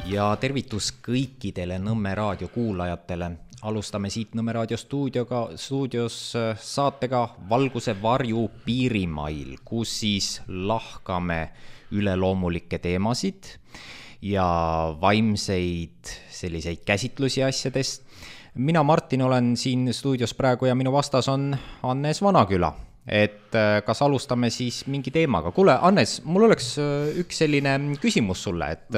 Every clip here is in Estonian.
Ja tervitus kõikidele Nõmme raadio kuulajatele. Alustame siit Nõmme raadio stuudios saatega Valguse varju piirimail, kus siis lahkame üleloomulikke teemasid ja vaimseid selliseid käsitlusi asjadest. Mina, Martin, olen siin stuudios praegu ja minu vastas on Hannes Vanaküla. Et kas alustame siis mingi teemaga? Kuule, Hannes, mul oleks üks selline küsimus sulle, et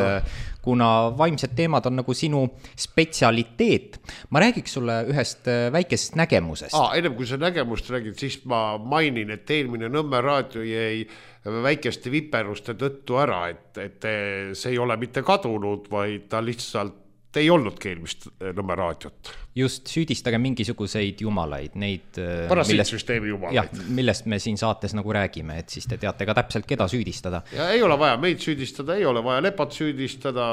kuna vaimsed teemad on nagu sinu spetsialiteet, ma räägiks sulle ühest väikesest nägemusest. Ennem kui sa nägemust räägid, siis ma mainin, et eelmine Nõmme raadio jäi väikeste viperuste tõttu ära, et see ei ole mitte kadunud, vaid ta lihtsalt ei olnudki eelmist Nõmme raadiot. Just, süüdistage mingisuguseid jumalaid, neid parasiitsüsteemi jumalaid. Millest me siin saates nagu räägime, et siis te teate ka täpselt, keda süüdistada. Ja ei ole vaja meid süüdistada, ei ole vaja Lepat süüdistada,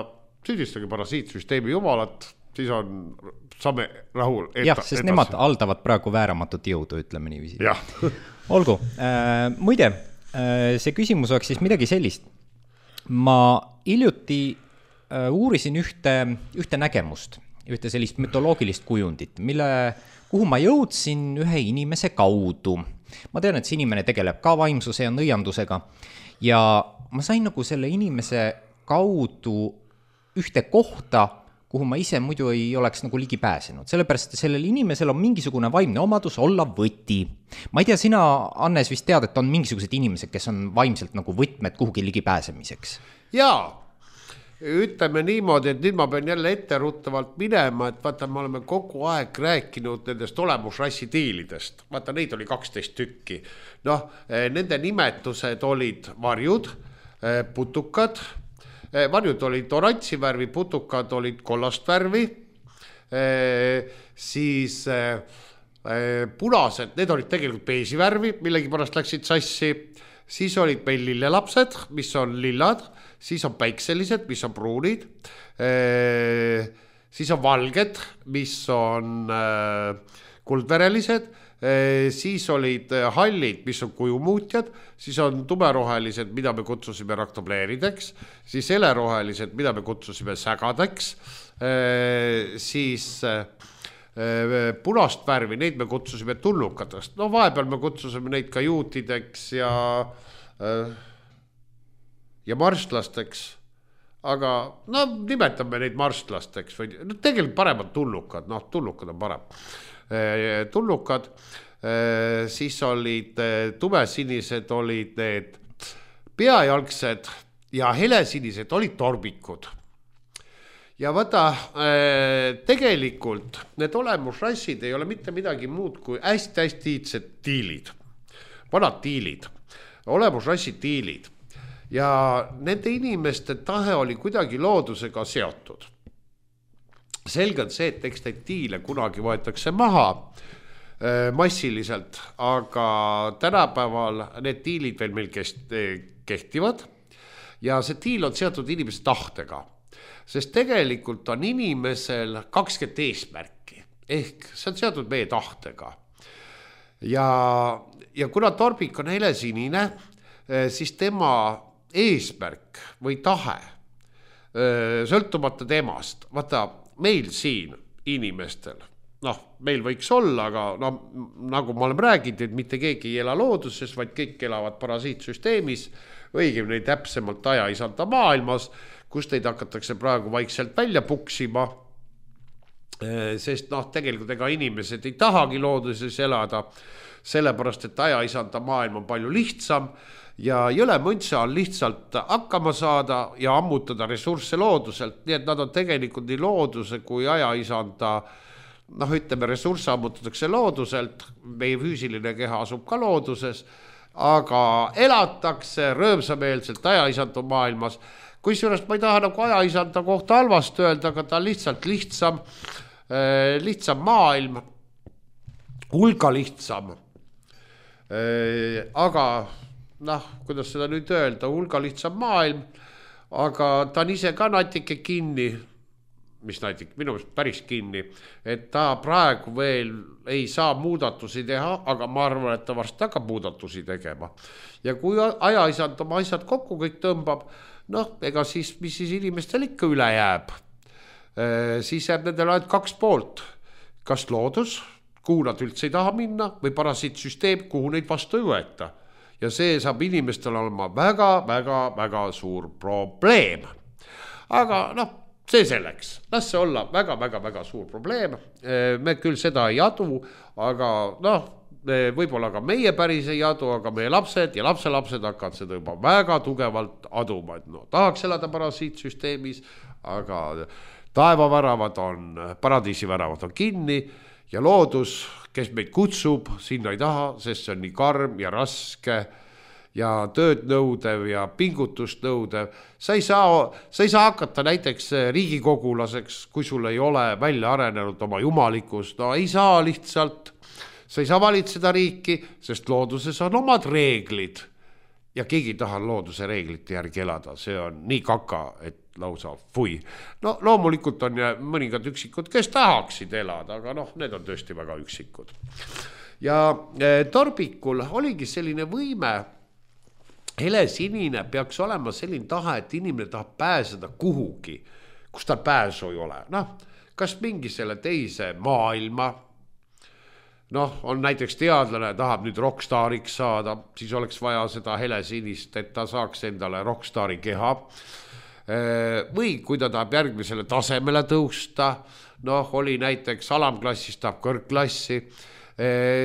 süüdistage parasiitsüsteemi jumalat, siis saame rahul. Jah, sest nemad haldavad praegu vääramatut jõudu, ütleme niiviisi. Jah. Olgu, muide, see küsimus oleks siis midagi sellist. Ma hiljuti uurisin ühte nägemust, ühte sellist mütoloogilist kujundit, kuhu ma jõudsin ühe inimese kaudu. Ma tean, et see inimene tegeleb ka vaimsuse ja nõiandusega ja ma sain nagu selle inimese kaudu ühte kohta, kuhu ma ise muidu ei oleks nagu ligi pääsenud. Sellepärast, et sellel inimesel on mingisugune vaimne omadus olla võti. Ma ei tea, sina, Hannes, vist tead, et on mingisugused inimesed, kes on vaimselt nagu võtmed kuhugi ligi pääsemiseks. Jaa. Ütleme niimoodi, et nüüd ma pean jälle etteruttavalt minema, et vaata, me oleme kogu aeg rääkinud nendest olemusrassi tiilidest. Vaata, neid oli 12 tükki. Nende nimetused olid varjud, putukad. Varjud olid oranži värvi, putukad olid kollast värvi. Siis punased, need olid tegelikult beesi värvi, millegi pärast läksid sassi. Siis olid meil lillelapsed, mis on lillad, siis on päikselised, mis on pruunid, siis on valged, mis on kuldverelised, siis olid hallid, mis on kujumuutjad, siis on tumerohelised, mida me kutsusime raktobleerideks, siis helerohelised, mida me kutsusime sägadeks, siis punast värvi, neid me kutsusime tullukatest. Vahepeal me kutsusime neid ka juutideks ja marstlasteks, aga nimetame neid marstlasteks või tegelikult paremad tullukad, tullukad on parem. Tullukad, siis olid tumesinised, olid need peajalgsed ja helesinised olid torbikud. Ja vaata, tegelikult need olemusrassid ei ole mitte midagi muud kui hästi iidsed tiilid, vanad tiilid, olemusrassid tiilid. Ja nende inimeste tahe oli kuidagi loodusega seotud. Selge on see, et eks neid tiile kunagi võetakse maha massiliselt, aga tänapäeval need tiilid veel meil kehtivad ja see tiil on seotud inimese tahtega. Sest tegelikult on inimesel 20 eesmärki, ehk see on seotud meie tahtega. Ja kuna torbik on helesinine, siis tema eesmärk või tahe, sõltumata temast, vaata meil siin inimestel, meil võiks olla, aga nagu ma olen rääginud, et mitte keegi ei ela looduses, vaid kõik elavad parasiitsüsteemis, õigemini täpsemalt ajaisanda maailmas, kus teid hakatakse praegu vaikselt välja puksima, sest tegelikult ega inimesed ei tahagi looduses elada, sellepärast, et ajaisanda maailm on palju lihtsam ja jõle mõntsa on lihtsalt hakkama saada ja ammutada ressursse looduselt, nii et nad on tegelikult nii looduse kui ajaisanda, ütleme, ressursse ammutatakse looduselt, meie füüsiline keha asub ka looduses, aga elatakse rõõmsameelselt ajaisanda maailmas. Kusjuures ma ei taha nagu ajaisanda kohta halvast öelda, aga ta on lihtsalt lihtsam maailm, hulga lihtsam. Aga kuidas seda nüüd öelda, hulga lihtsam maailm, aga ta on ise ka natuke kinni, mis näiteks minu meelest päris kinni, et ta praegu veel ei saa muudatusi teha, aga ma arvan, et ta varsti hakkab muudatusi tegema. Ja kui ajaisand oma asjad kokku kõik tõmbab, noh, ega siis, mis siis inimestel ikka üle jääb, siis jääb nendel ainult 2 poolt, kas loodus, kuhu nad üldse ei taha minna, või parasiitsüsteem, kuhu neid vastu ei võeta. Ja see saab inimestel olema väga suur probleem. Aga noh, see selleks, las see olla väga suur probleem, me küll seda ei adu, aga noh, võib-olla ka meie päris ei adu, aga meie lapsed ja lapselapsed hakkavad seda juba väga tugevalt aduma, et no tahaks elada parasiitsüsteemis, aga taevaväravad on, paradiisiväravad on kinni ja loodus, kes meid kutsub, sinna ei taha, sest see on nii karm ja raske ja tööd nõudev ja pingutust nõudev. Sa ei saa hakata näiteks riigikogulaseks, kui sul ei ole välja arenenud oma jumalikkust. No ei saa lihtsalt. Sa ei saa valitseda riiki, sest looduses on omad reeglid. Ja keegi ei taha looduse reeglite järgi elada. See on nii kaka, et lausa fui. No loomulikult on mõningad üksikud, kes tahaksid elada, aga noh, need on tõesti väga üksikud. Ja Torbikul oligi selline võime, helesinine peaks olema selline tahe, et inimene tahab pääseda kuhugi, kus tal pääsu ei ole. Noh, kas mingi selle teise maailma, noh, on näiteks teadlane, tahab nüüd rockstariks saada, siis oleks vaja seda helesinist, et ta saaks endale rockstari keha. Või kui ta tahab järgmisele tasemele tõusta, noh, oli näiteks alamklassist tahab kõrgklassi,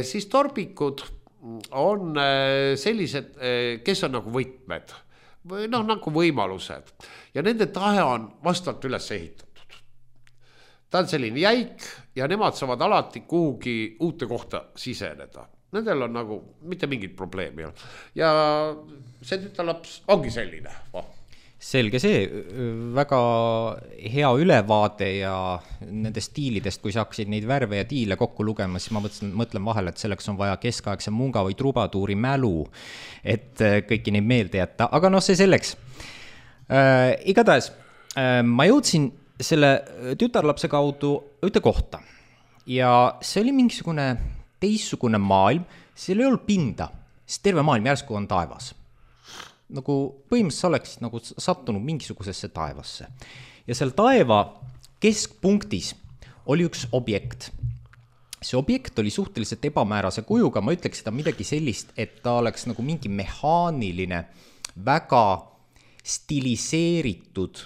siis torbikud on sellised, kes on nagu võtmed või noh, nagu võimalused ja nende tahe on vastavalt üles ehitatud. Ta on selline jäik ja nemad saavad alati kuhugi uute kohta siseneda. Nendel on nagu mitte mingit probleemi. Ja see tütarlaps ongi selline. Selge see, väga hea ülevaade ja nende stiilidest, kui sa hakkasid neid värve ja tiile kokku lugema, siis ma mõtlen vahel, et selleks on vaja keskaegse munga või trubaduuri mälu, et kõiki neid meelde jätta, aga noh, see selleks. Igatahes, ma jõudsin selle tütarlapse kaudu ühte kohta ja see oli mingisugune teistsugune maailm, seal ei olnud pinda, sest terve maailm järsku on taevas. Nagu põhimõtteliselt oleks nagu sattunud mingisugusesse taevasse. Ja seal taeva keskpunktis oli üks objekt. See objekt oli suhteliselt ebamäärase kujuga, ma ütleks seda midagi sellist, et ta oleks nagu mingi mehaaniline, väga stiliseeritud,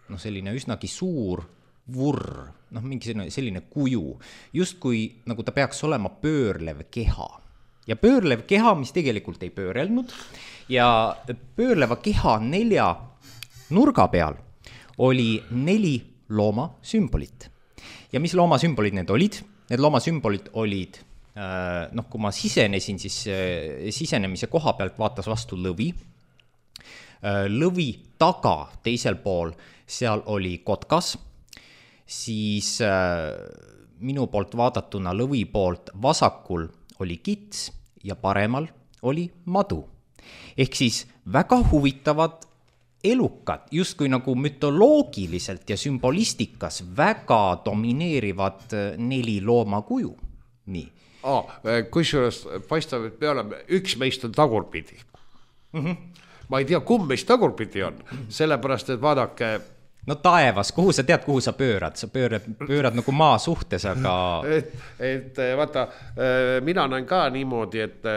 noh selline üsnagi suur vurr, noh mingi selline kuju, just kui nagu ta peaks olema pöörlev keha. Ja pöörlev keha, mis tegelikult ei pöörelnud, ja pöörleva keha 4 nurga peal oli 4 looma sümbolit. Ja mis looma sümbolid need olid? Need looma sümbolid olid, noh kui ma sisenesin, siis sisenemise koha pealt vaatas vastu lõvi. Lõvi taga teisel pool, seal oli kotkas, siis minu poolt vaadatuna lõvi poolt vasakul oli kits ja paremal oli madu. Ehk siis väga huvitavad elukad, justkui nagu mütoloogiliselt ja sümbolistikas väga domineerivad 4 looma kuju. Nii. Kusjuures paistab, et me oleme, üks meist on tagurpidi. Ma ei tea, kumb meist tagurpidi on, sellepärast, et vaadake... No taevas, kuhu sa tead, kuhu sa pöörad? Sa pöörad nagu maa suhtes, aga... Et vaata, mina näen ka niimoodi, et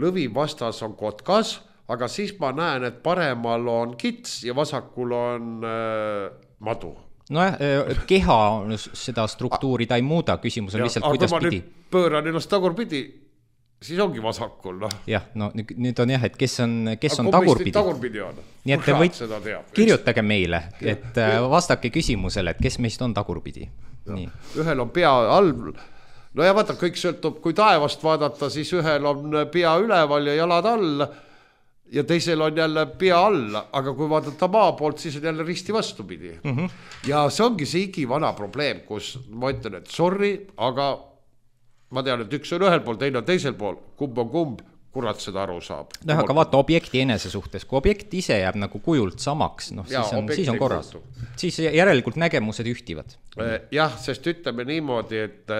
lõvi vastas on kotkas, aga siis ma näen, et paremal on kits ja vasakul on madu. Nojah, keha seda struktuuri ta ei muuda, küsimus on lihtsalt, kuidas pidi. Aga kui ma nüüd pööran ennast tagurpidi, siis ongi vasakul. No. Jah, no nüüd on jah, et kes on tagurpidi. Tagurpidi on. Nii et te kirjutage meile, et vastake küsimusele, et kes meist on tagurpidi. Nii. Ühel on pea all. No ja vaata, kõik sõltub, kui taevast vaadata, siis ühel on pea üleval ja jalad all ja teisel on jälle pea all, aga kui vaadata maa poolt, siis on jälle risti vastupidi. Ja see ongi see igivana probleem, kus ma ütlen, et sorry, aga ma tean, et üks on ühel pool, teine on teisel pool, kumb on kumb, kurat seda aru saab. No, aga vaata objekti enese suhtes, kui objekt ise jääb nagu kujult samaks, noh, siis on korras. Siis järelikult nägemused ühtivad. Jah, sest ütleme niimoodi, et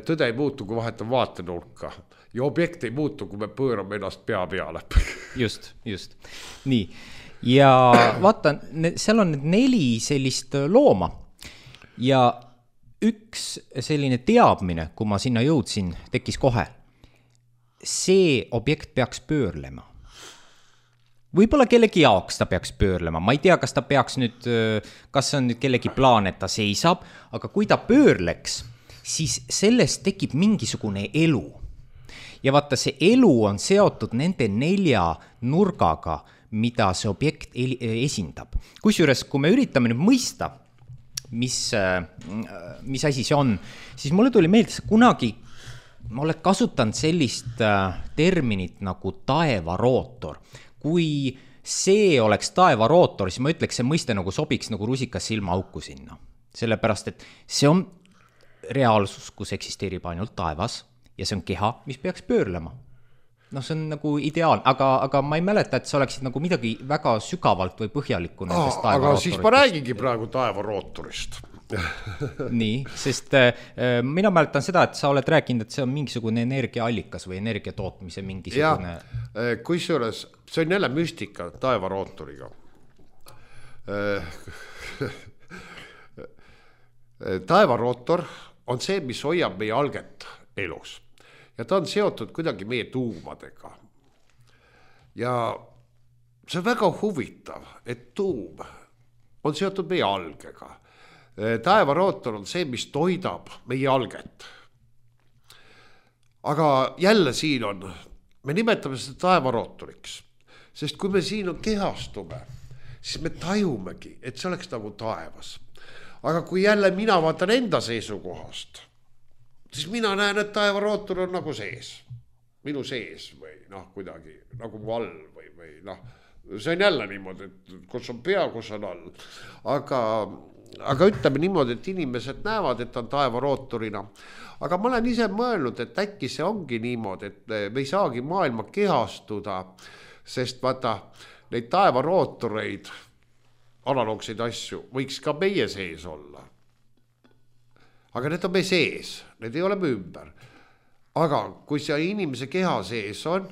tõde ei muutu, kui vahetab vaatenurka ja objekt ei muutu, kui me pöörame ennast pea peale. Just. Nii. ja vaata, seal on 4 sellist looma ja üks selline teadmine, kui ma sinna jõudsin, tekkis kohe. See objekt peaks pöörlema. Võib-olla kellegi jaoks ta peaks pöörlema, ma ei tea, kas ta peaks nüüd, kas see on nüüd kellegi plaan, et ta seisab, aga kui ta pöörleks, siis sellest tekib mingisugune elu. Ja vaata, see elu on seotud nende 4 nurgaga, mida see objekt esindab. Kusjuures, kui me üritame nüüd mõista, mis asi see on, siis mulle tuli meelde, kunagi ma olen kasutanud sellist terminit nagu taevarootor. Kui see oleks taevarootor, siis ma ütleks, see mõiste nagu sobiks nagu rusikas silmaauku sinna. Sellepärast, et see on reaalsus, kus eksisteerib ainult taevas ja see on keha, mis peaks pöörlema. No see on nagu ideaalne, aga ma ei mäleta, et see oleksid nagu midagi väga sügavalt või põhjalikku nendest taevarootoritest. Aga siis ma räägingi praegu taevarootorist. Nii, sest mina mäletan seda, et sa oled rääkinud, et see on mingisugune energiaallikas või energia tootmise mingisugune... Ja, kusjuures see on jälle müstika taevarootoriga. Taevarootor on see, mis hoiab meie alget elus. Ja ta on seotud kuidagi meie tuumadega. Ja see on väga huvitav, et tuum on seotud meie algega. Taevarootor on see, mis toidab meie alget. Aga jälle siin on, me nimetame seda taevarootoriks, sest kui me siin kehastume, siis me tajumegi, et see oleks nagu taevas. Aga kui jälle mina vaatan enda seisukohast, siis mina näen, et taevarootor on nagu sees, minu sees või kuidagi nagu mu all või see on jälle niimoodi, et kus on pea, kus on all. Aga ütleme niimoodi, et inimesed näevad, et on taevarootorina. Aga ma olen ise mõelnud, et äkki see ongi niimoodi, et me ei saagi maailma kehastuda, sest vaata, neid taevarootoreid, analoogseid asju, võiks ka meie sees olla. Aga need on meie sees, need ei ole me ümber. Aga kui see inimese keha sees on,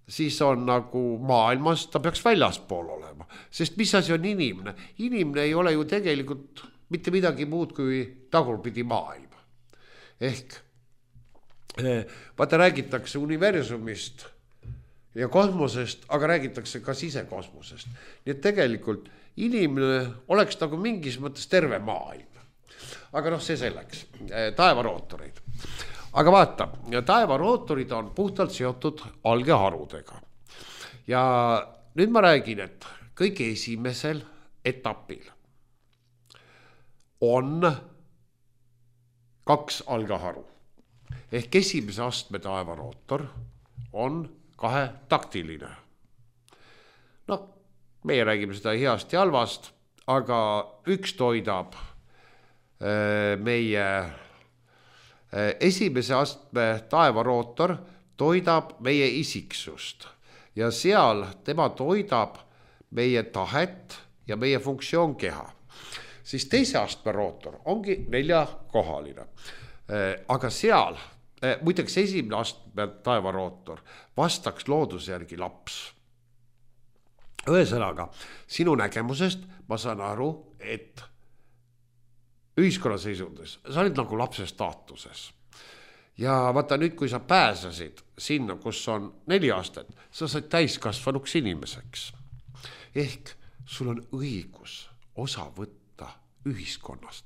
siis on nagu maailmas, ta peaks väljaspool olema. Sest mis asi on inimene? Inimene ei ole ju tegelikult mitte midagi muud kui tagurpidi maailm. Ehk vaata räägitakse universumist ja kosmosest, aga räägitakse ka sisekosmosest. Nii et tegelikult inimene oleks nagu mingis mõttes terve maailm. Aga see selleks, taevarootoreid. Aga vaata, taevarootorid on puhtalt seotud algeharudega. Ja nüüd ma räägin, et kõige esimesel etapil on 2 algeharu. Ehk esimese astme taevarootor on 2-taktiline. Meie räägime seda heast ja halvast, aga üks toidab meie esimese astme taevarootor toidab meie isiksust ja seal tema toidab meie tahet ja meie funktsioon keha. Siis teise astme rootor ongi 4-kohaline. Aga seal, muideks esimene astme taevarootor vastaks looduse järgi laps. Ühesõnaga, sinu nägemusest ma saan aru, et ühiskonna seisundis, sa olid nagu lapse staatuses. Ja vaata nüüd, kui sa pääsesid sinna, kus on 4 aastat, sa said täiskasvanuks inimeseks. Ehk sul on õigus osa võtta ühiskonnast.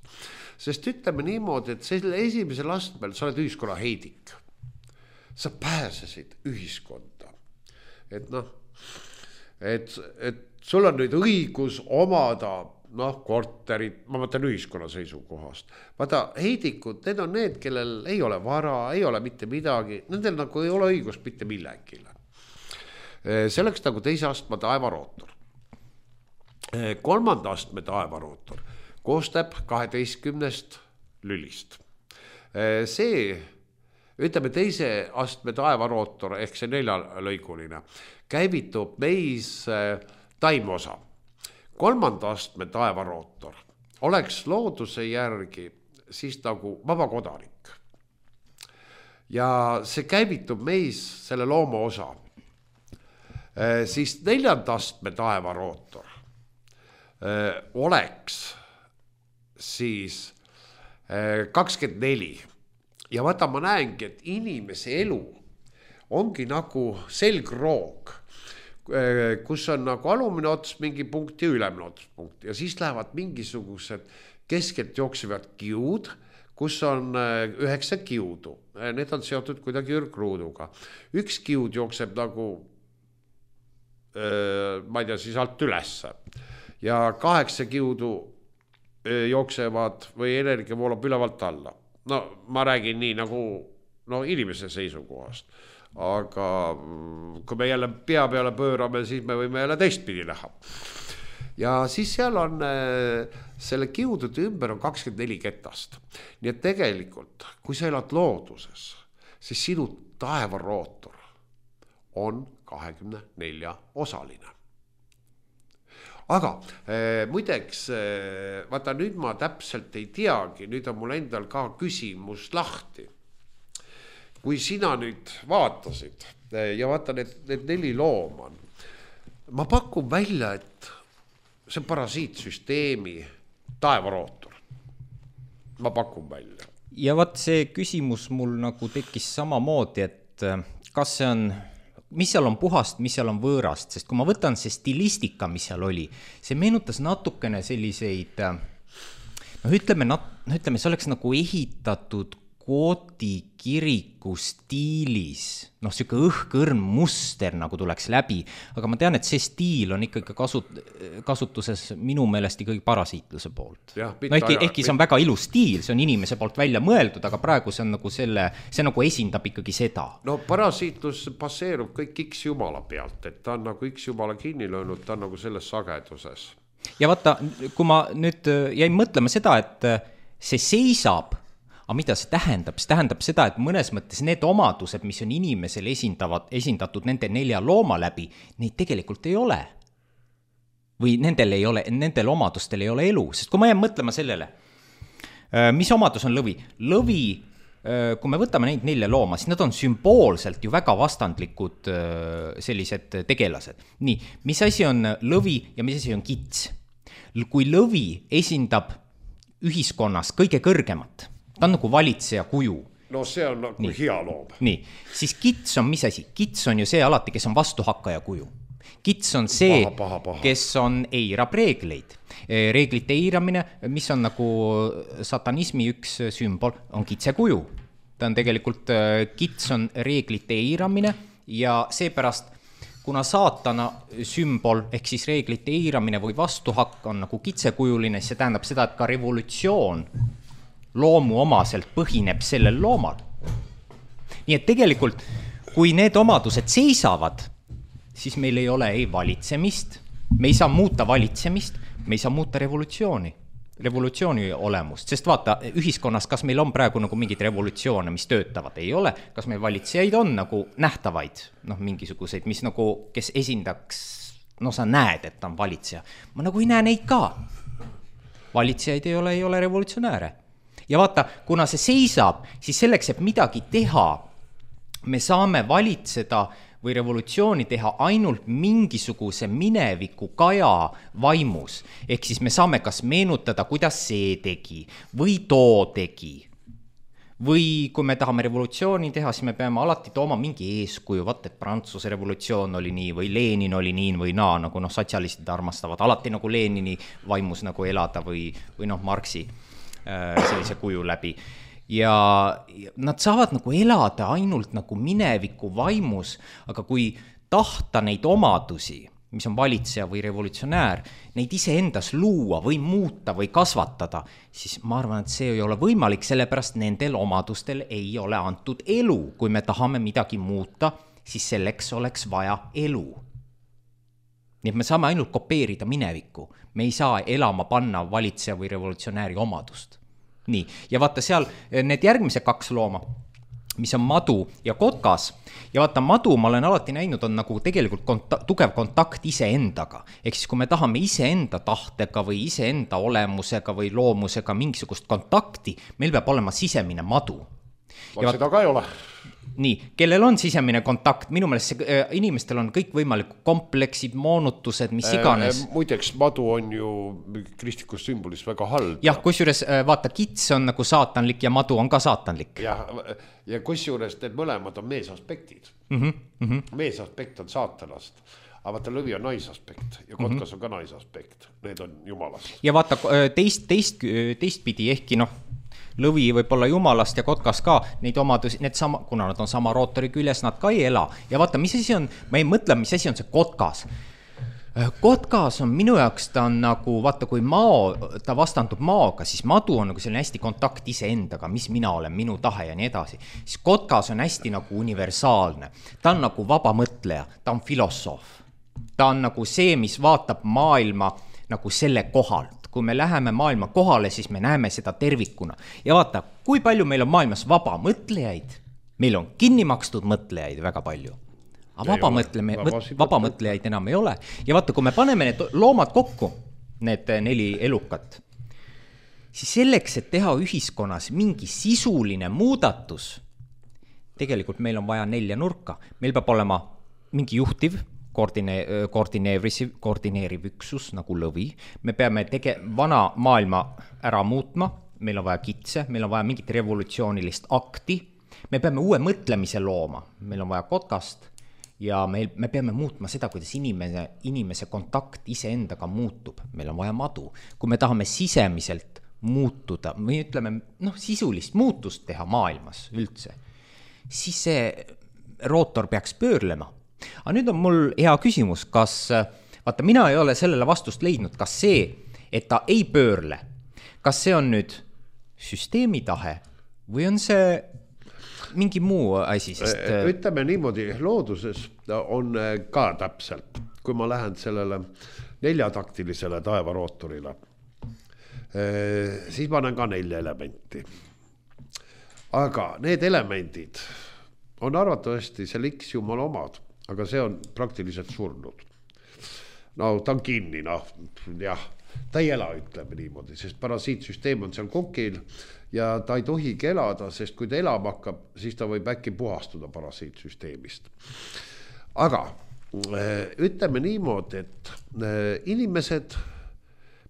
Sest ütleme niimoodi, et selle esimesel astmel sa oled ühiskonna heidik. Sa pääsesid ühiskonda. Et sul on nüüd õigus omada korterid, ma mõtlen ühiskonna seisukohast. Vaata, heidikud, need on need, kellel ei ole vara, ei ole mitte midagi, nendel nagu ei ole õigust mitte millegile. See oleks nagu teise astme taevarootor. 3. astme taevarootor koostab 12 lülist. See, ütleme teise astme taevarootor, ehk see 4-lõiguline, käivitub meis taimeosa. 3. astme taevarootor oleks looduse järgi siis nagu vaba kodanik. Ja see käivitub meis selle looma osa. siis 4. astme taevarootor oleks siis 24 ja vaata, ma näengi, et inimese elu ongi nagu selgroog, kus on nagu alumine ots mingi punkt ja ülemine ots punkt ja siis lähevad mingisugused keskelt jooksevad kiud, kus on 9 kiudu. Need on seotud kuidagi ürgruuduga. Üks kiud jookseb nagu, ma ei tea, siis alt ülesse ja 8 kiudu jooksevad või energia voolab ülevalt alla. No ma räägin nii nagu inimese seisukohast. Aga kui me jälle pea peale pöörame, siis me võime jälle teistpidi näha. Ja siis seal on selle kiudude ümber on 24 ketast. Nii et tegelikult, kui sa elad looduses, siis sinu taevarootor on 24 osaline. Aga muideks, vaata nüüd ma täpselt ei teagi, nüüd on mul endal ka küsimus lahti. Kui sina nüüd vaatasid ja vaata need 4 looma on, ma pakun välja, et see on parasiitsüsteemi taevarootor. Ma pakun välja. Ja vaat see küsimus mul nagu tekkis samamoodi, et kas see on, mis seal on puhast, mis seal on võõrast, sest kui ma võtan see stilistika, mis seal oli, see meenutas natukene selliseid, ütleme, see oleks nagu ehitatud Gooti kiriku stiilis, siuke õhkõrn muster nagu tuleks läbi, aga ma tean, et see stiil on ikkagi kasutuses minu meelest ikkagi parasiitluse poolt. Ehkki see on väga ilus stiil, see on inimese poolt välja mõeldud, aga praegu see on nagu see nagu esindab ikkagi seda. No parasiitlus baseerub kõik X jumala pealt, et ta on nagu X jumala kinni löönud, ta on nagu selles sageduses. Ja vaata, kui ma nüüd jäin mõtlema seda, et see seisab, aga mida see tähendab? See tähendab seda, et mõnes mõttes need omadused, mis on inimesel esindatud nende 4 looma läbi, neid tegelikult ei ole. Või nendel omadustel ei ole elu. Sest kui ma jään mõtlema sellele, mis omadus on lõvi? Lõvi, kui me võtame neid 4 looma, siis nad on sümboolselt ju väga vastandlikud sellised tegelased. Nii, mis asi on lõvi ja mis asi on kits? Kui lõvi esindab ühiskonnas kõige kõrgemat, ta on nagu valitseja kuju. No see on nagu hea loom. Nii, siis kits on mis asi? Kits on ju see alati, kes on vastuhakkaja kuju. Kits on see, kes on eirab reegleid. Reeglite eiramine, mis on nagu satanismi üks sümbol, on kitse kuju. Ta on tegelikult, kits on reeglite eiramine ja seepärast, kuna saatana sümbol ehk siis reeglite eiramine või vastuhakk on nagu kitsekujuline, see tähendab seda, et ka revolutsioon loomu omaselt põhineb sellel loomal. Nii et tegelikult, kui need omadused seisavad, siis meil ei ole ei valitsemist, me ei saa muuta valitsemist, me ei saa muuta revolutsiooni olemust, sest vaata, ühiskonnas, kas meil on praegu nagu mingid revolutsioone, mis töötavad, ei ole, kas meil valitsejaid on nagu nähtavaid, mingisuguseid, mis nagu, kes esindaks, sa näed, et ta on valitseja, ma nagu ei näe neid ka. Valitsejaid ei ole revolutsionääre. Ja vaata, kuna see seisab, siis selleks, et midagi teha, me saame valitseda või revolutsiooni teha ainult mingisuguse mineviku kaja vaimus. Ehk siis me saame kas meenutada, kuidas see tegi või too tegi. Või kui me tahame revolutsiooni teha, siis me peame alati tooma mingi eeskuju, vaat et Prantsuse revolutsioon oli nii või Lenin oli nii või naa, nagu sotsialistid armastavad alati nagu Lenini vaimus nagu elada või Marxi sellise kuju läbi. Ja nad saavad nagu elada ainult nagu mineviku vaimus, aga kui tahta neid omadusi, mis on valitseja või revolutsionäär, neid ise endas luua või muuta või kasvatada, siis ma arvan, et see ei ole võimalik, sellepärast nendel omadustel ei ole antud elu. Kui me tahame midagi muuta, siis selleks oleks vaja elu. Nii et me saame ainult kopeerida minevikku. Me ei saa elama panna valitseja või revolutsionääri omadust. Nii, ja vaata seal need järgmise 2 looma, mis on madu ja kotkas, ja vaata madu ma olen alati näinud, on nagu tegelikult tugev kontakt iseendaga. Ehk siis kui me tahame iseenda tahtega või iseenda olemusega või loomusega mingisugust kontakti, meil peab olema sisemine madu. Seda ka ei ole. Nii, kellel on sisemine kontakt, minu meelest inimestel on kõik võimalikud kompleksid, moonutused, mis iganes. Muideks, madu on ju kristlikus sümbolis väga halb. Jah, kusjuures vaata, kits on nagu saatanlik ja madu on ka saatanlik. Ja kusjuures need mõlemad on meesaspektid. Meesaspekt on saatanast, aga vaata, lõvi on naisaspekt ja kotkas on ka naisaspekt. Need on jumalast. Ja vaata, teistpidi ehkki lõvi võib olla jumalast ja kotkas ka, neid omadusi, kuna nad on sama rootori küljes, nad ka ei ela. Ja vaata, mis asi on, ma ei mõtle, mis asi on see kotkas. Kotkas on minu jaoks, ta on nagu, vaata, kui ta vastandub maaga, siis madu on nagu selline hästi kontakt iseendaga, mis mina olen, minu tahe ja nii edasi. Siis kotkas on hästi nagu universaalne. Ta on nagu vaba mõtleja, ta on filosoof. Ta on nagu see, mis vaatab maailma nagu selle kohalt. Kui me läheme maailma kohale, siis me näeme seda tervikuna. Ja vaata, kui palju meil on maailmas vaba mõtlejaid, meil on kinni makstud mõtlejaid väga palju. Aga vaba mõtlejaid enam ei ole. Ja vaata, kui me paneme need loomad kokku, need 4 elukat, siis selleks, et teha ühiskonnas mingi sisuline muudatus, tegelikult meil on vaja 4 nurka. Meil peab olema mingi juhtiv, koordineeriv üksus nagu lõvi. Me peame vana maailma ära muutma, meil on vaja kitse, meil on vaja mingit revolutsioonilist akti, me peame uue mõtlemise looma, meil on vaja kotkast ja me peame muutma seda, kuidas inimese kontakt iseendaga muutub, meil on vaja madu. Kui me tahame sisemiselt muutuda, või ütleme, sisulist muutust teha maailmas üldse, siis see rootor peaks pöörlema. Aga nüüd on mul hea küsimus, kas, vaata, mina ei ole sellele vastust leidnud, kas see, et ta ei pöörle, kas see on nüüd süsteemi tahe või on see mingi muu asi, sest... Ütleme niimoodi, looduses on ka täpselt, kui ma lähen sellele 4-taktilisele taevarootorile, siis ma näen ka 4 elementi. Aga need elemendid on arvatavasti seal X jumala omad, aga see on praktiliselt surnud. Ta on kinni, jah, ta ei ela, ütleme niimoodi, sest parasiitsüsteem on seal kokil ja ta ei tohigi elada, sest kui ta elama hakkab, siis ta võib äkki puhastuda parasiitsüsteemist. Aga ütleme niimoodi, et inimesed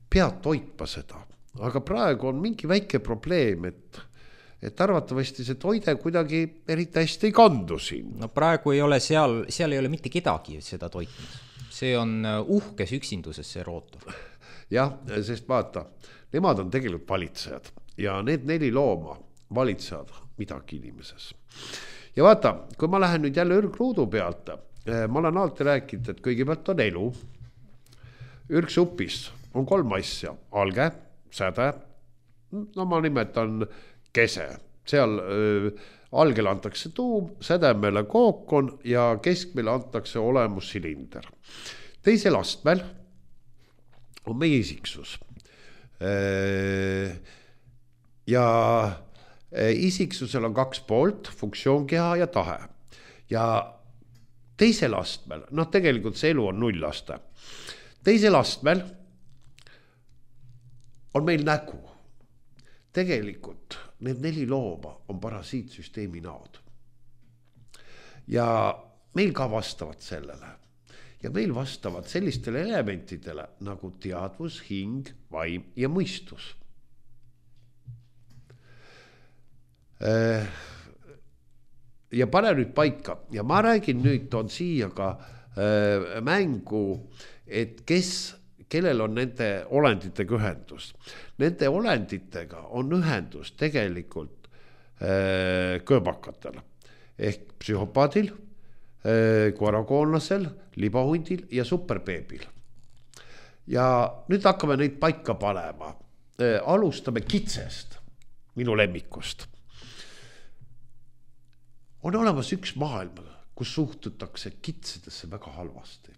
peavad toitma seda, aga praegu on mingi väike probleem, et arvatavasti see toide kuidagi eriti hästi ei kandu siin. Praegu ei ole seal ei ole mitte kedagi seda toitmas. See on uhkes üksinduses see rootor. Jah, sest vaata, nemad on tegelikult valitsejad ja need 4 looma valitsevad midagi inimeses. Ja vaata, kui ma lähen nüüd jälle ürgruudu pealt, ma olen alati rääkinud, et kõigepealt on elu. Ürgsupis on 3 asja, alge, säde, ma nimetan kese, seal algele antakse tuum, sädemele kookon ja keskmele antakse olemussilinder. Teisel astmel on meie isiksus. Ja isiksusel on 2 poolt, funktsioonkeha ja tahe. Ja teisel astmel, tegelikult see elu on 0 aste. Teisel astmel on meil nägu. Tegelikult need 4 looma on parasiitsüsteemi näod. Ja meil ka vastavad sellele. Ja meil vastavad sellistele elementidele nagu teadvus, hing, vaim ja mõistus. Ja pane nüüd paika. Ja ma räägin nüüd, toon siia ka mängu, et kellel on nende olenditega ühendus. Nende olenditega on ühendus tegelikult kööbakatel ehk psühhopaadil, koerakoonlasel, libahundil ja superbeebil. Ja nüüd hakkame neid paika panema. Alustame kitsest, minu lemmikust. On olemas üks maailm, kus suhtutakse kitsedesse väga halvasti.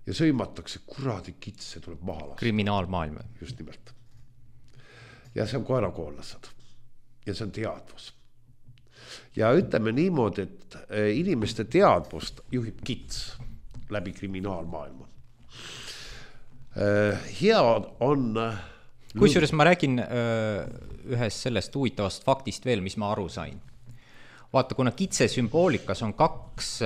Ja sõimatakse, kuradi kitse tuleb maha lasta. Kriminaalmaailm. Just nimelt. Ja see on koerakoonlased. Ja see on teadvus. Ja ütleme niimoodi, et inimeste teadvust juhib kits läbi kriminaalmaailma. Hea on... kusjuures ma räägin ühest sellest huvitavast faktist veel, mis ma aru sain. Vaata, kuna kitse sümboolikas on kaks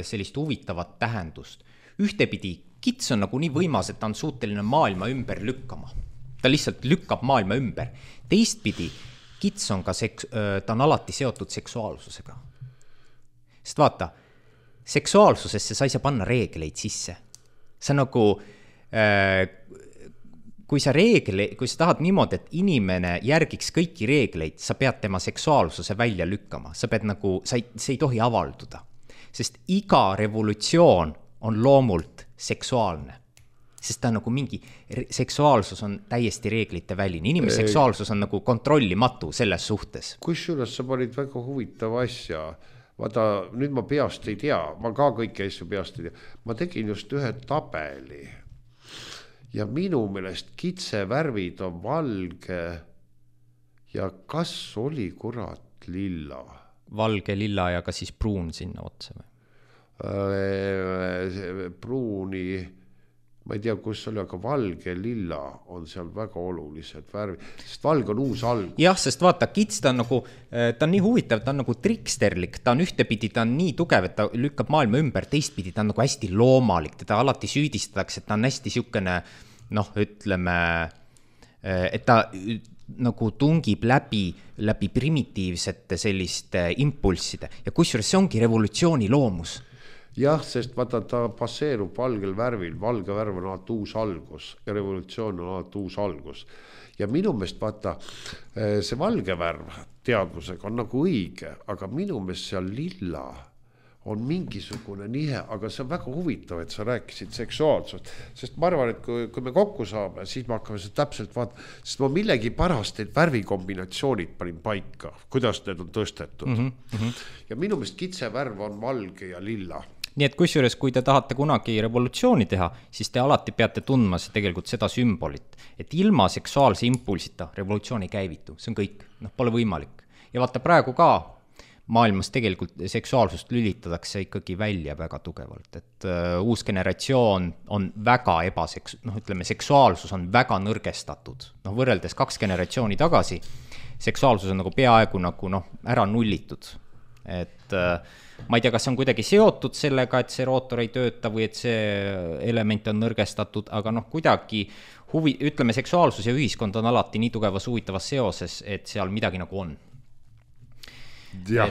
sellist huvitavat tähendust. Ühtepidi kits on nagu nii võimas, et ta on suuteline maailma ümber lükkama. Ta lihtsalt lükkab maailma ümber. Teistpidi, kits on ka ta on alati seotud seksuaalsusega. Sest vaata, seksuaalsusesse sa ei saa panna reegleid sisse. See nagu, kui sa tahad niimoodi, et inimene järgiks kõiki reegleid, sa pead tema seksuaalsuse välja lükkama. Sa pead nagu, see ei tohi avalduda. Sest iga revolutsioon on loomult seksuaalne. Sest ta on nagu mingi, seksuaalsus on täiesti reeglite väline. Inimese seksuaalsus on nagu kontrollimatu selles suhtes. Kusjuures sa panid väga huvitava asja. Vaata, nüüd ma peast ei tea, ma ka kõiki asju peast ei tea. Ma tegin just ühe tabeli ja minu meelest kitse värvid on valge ja kas oli kurat lilla? Valge, lilla ja ka siis pruun sinna otsa või? Pruuni, ma ei tea, kus oli, aga valge, lilla on seal väga olulised värvid, sest valge on uus algus. Jah, sest vaata, kits ta on nagu, ta on nii huvitav, ta on nagu triksterlik, ta on ühtepidi, ta on nii tugev, et ta lükkab maailma ümber, teistpidi ta on nagu hästi loomalik, teda alati süüdistatakse, et ta on hästi siukene, ütleme, et ta nagu tungib läbi primitiivsete selliste impulsside ja kusjuures see ongi revolutsiooni loomus. Jah, sest vaata, ta passeerub valgel värvil, valge värv on alati uus algus ja revolutsioon on alati uus algus. Ja minu meelest vaata, see valge värv teadvusega on nagu õige, aga minu meelest seal lilla on mingisugune nihe, aga see on väga huvitav, et sa rääkisid seksuaalsust, sest ma arvan, et kui me kokku saame, siis me hakkame seda täpselt vaatama, sest ma millegi pärast need värvikombinatsioonid panin paika, kuidas need on tõstetud. Ja minu meelest kitse värv on valge ja lilla. Nii et kusjuures, kui te tahate kunagi revolutsiooni teha, siis te alati peate tundma tegelikult seda sümbolit, et ilma seksuaalse impulsita revolutsiooni käivitu, see on kõik, pole võimalik. Ja vaata praegu ka, maailmas tegelikult seksuaalsust lülitatakse ikkagi välja väga tugevalt, et uus generatsioon on väga seksuaalsus on väga nõrgestatud. Võrreldes 2 generatsiooni tagasi, seksuaalsus on nagu peaaegu nagu ära nullitud. Et ma ei tea, kas see on kuidagi seotud sellega, et see rootor ei tööta või et see element on nõrgestatud, aga kuidagi ütleme, seksuaalsus ja ühiskond on alati nii tugevas huvitavas seoses, et seal midagi nagu on. Ja.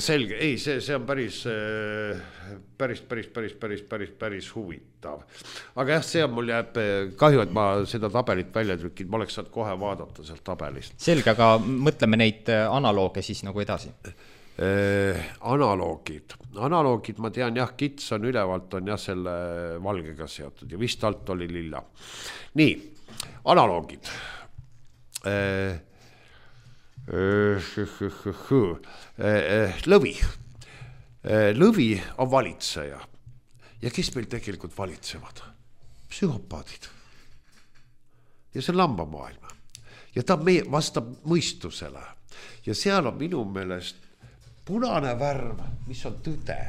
Selge, ei, see on päris huvitav. Aga jah, see on mul jääb kahju, et ma seda tabelit välja trükkin, ma oleks saanud kohe vaadata sealt tabelist. Selge, aga mõtleme neid analooge siis nagu edasi. Analoogid, ma tean jah, kits on ülevalt on jah selle valgega seotud ja vist alt oli lilla. Nii, analoogid. Lõvi on valitseja ja kes meil tegelikult valitsevad? Psühhopaadid ja see on lambamaailma ja ta vastab mõistusele ja seal on minu meelest punane värv, mis on tõde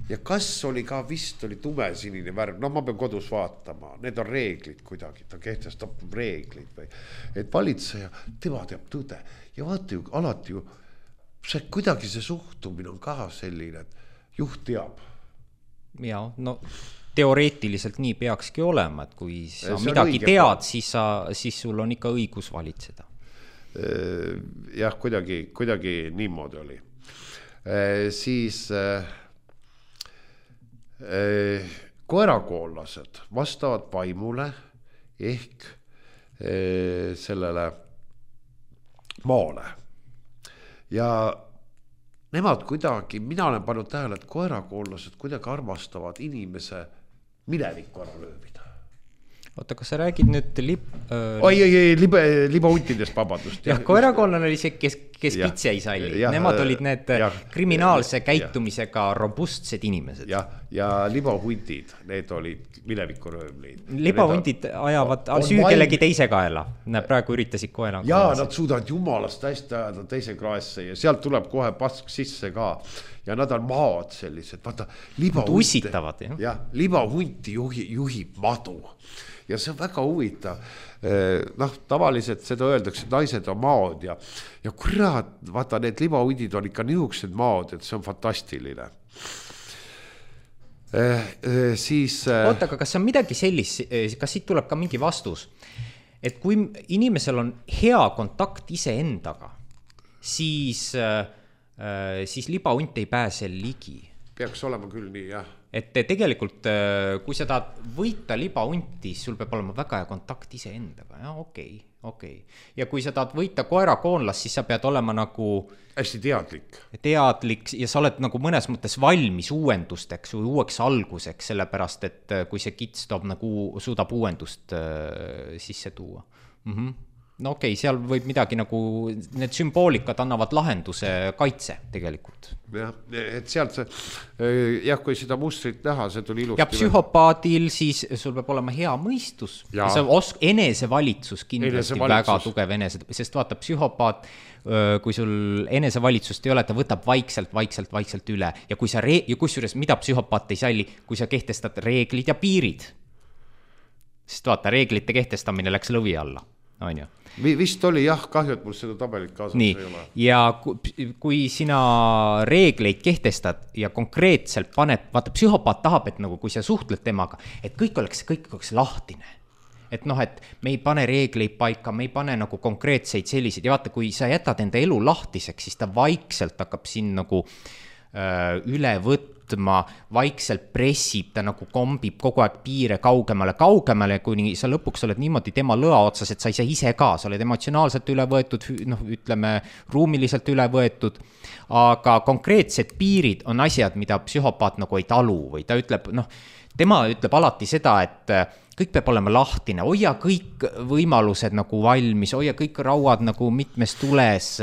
ja kas oli ka vist oli tumesinine värv, ma pean kodus vaatama, need on reeglid kuidagi, ta kehtestab reeglid või, et valitseja, tema teab tõde ja vaata ju alati ju, see kuidagi see suhtumine on ka selline, et juht teab. Ja, teoreetiliselt nii peakski olema, et kui sa midagi tead, siis sul on ikka õigus valitseda. Jah, kuidagi niimoodi oli. Siis koerakoollased vastavad vaimule ehk sellele maale ja nemad kuidagi, mina olen pannud tähele, et koerakoollased kuidagi armastavad inimese minevikku ära lööbida. Oota, kas sa räägid nüüd libahuntidest, vabandust. Jah, koerakollane oli see, kes kes pitsi ei salli. Nemad olid need kriminaalse käitumisega robustsed inimesed. Ja libahundid, need olid minevikuröövleid. Libahundid ajavad süü kellegi teise kaela. Nad praegu üritasid koena. Ja nad suudavad jumalast hästi ajada teise kraesse ja sealt tuleb kohe pask sisse ka. Ja nad on maad sellised. Vaata, ussitavad. Libahunti juhib madu. Ja see on väga huvitav. Tavaliselt seda öeldakse, et naised on maod ja kurat, vaata, need libahundid on ikka niisugused maod, et see on fantastiline. Oota, aga kas on midagi sellist, kas siit tuleb ka mingi vastus, et kui inimesel on hea kontakt iseendaga, siis libahunt ei pääse ligi. Peaks olema küll nii, jah. Et tegelikult, kui sa tahad võita libahunti, sul peab olema väga hea kontakt iseendaga. Ja, okei. Ja kui sa tahad võita koerakoonlast, siis sa pead olema nagu hästi teadlik ja sa oled nagu mõnes mõttes valmis uuendusteks või uueks alguseks, sellepärast, et kui see kits suudab uuendust sisse tuua. No okei, seal võib midagi nagu, need sümboolikad annavad lahenduse kaitse tegelikult. Jah, et sealt kui seda mustrit näha, see tuli ilusti. Ja psühhopaadil siis sul peab olema hea mõistus. Enesevalitsus kindlasti väga tugev sest vaata, psühhopaat, kui sul enesevalitsust ei ole, ta võtab vaikselt üle. Ja kusjuures, mida psühhopaat ei salli, kui sa kehtestad reeglid ja piirid. Sest vaata, reeglite kehtestamine läks lõvi alla. On ju? Vist oli kahju, et mul seda tabelit kaasas ei ole. Ja kui sina reegleid kehtestad ja konkreetselt paned, vaata, psühhopaat tahab, et nagu kui sa suhtled temaga, et kõik oleks lahtine. Et et me ei pane reegleid paika, me ei pane nagu konkreetseid selliseid ja vaata, kui sa jätad enda elu lahtiseks, siis ta vaikselt hakkab siin nagu üle võtma, vaikselt pressib, ta nagu kombib kogu aeg piire kaugemale, kuni sa lõpuks oled niimoodi tema lõa otsas, et sa ei saa ise ka, sa oled emotsionaalselt üle võetud, ütleme, ruumiliselt üle võetud, aga konkreetsed piirid on asjad, mida psühhopaat nagu ei talu või ta ütleb, tema ütleb alati seda, et kõik peab olema lahtine, hoia kõik võimalused nagu valmis, hoia kõik rauad nagu mitmes tules,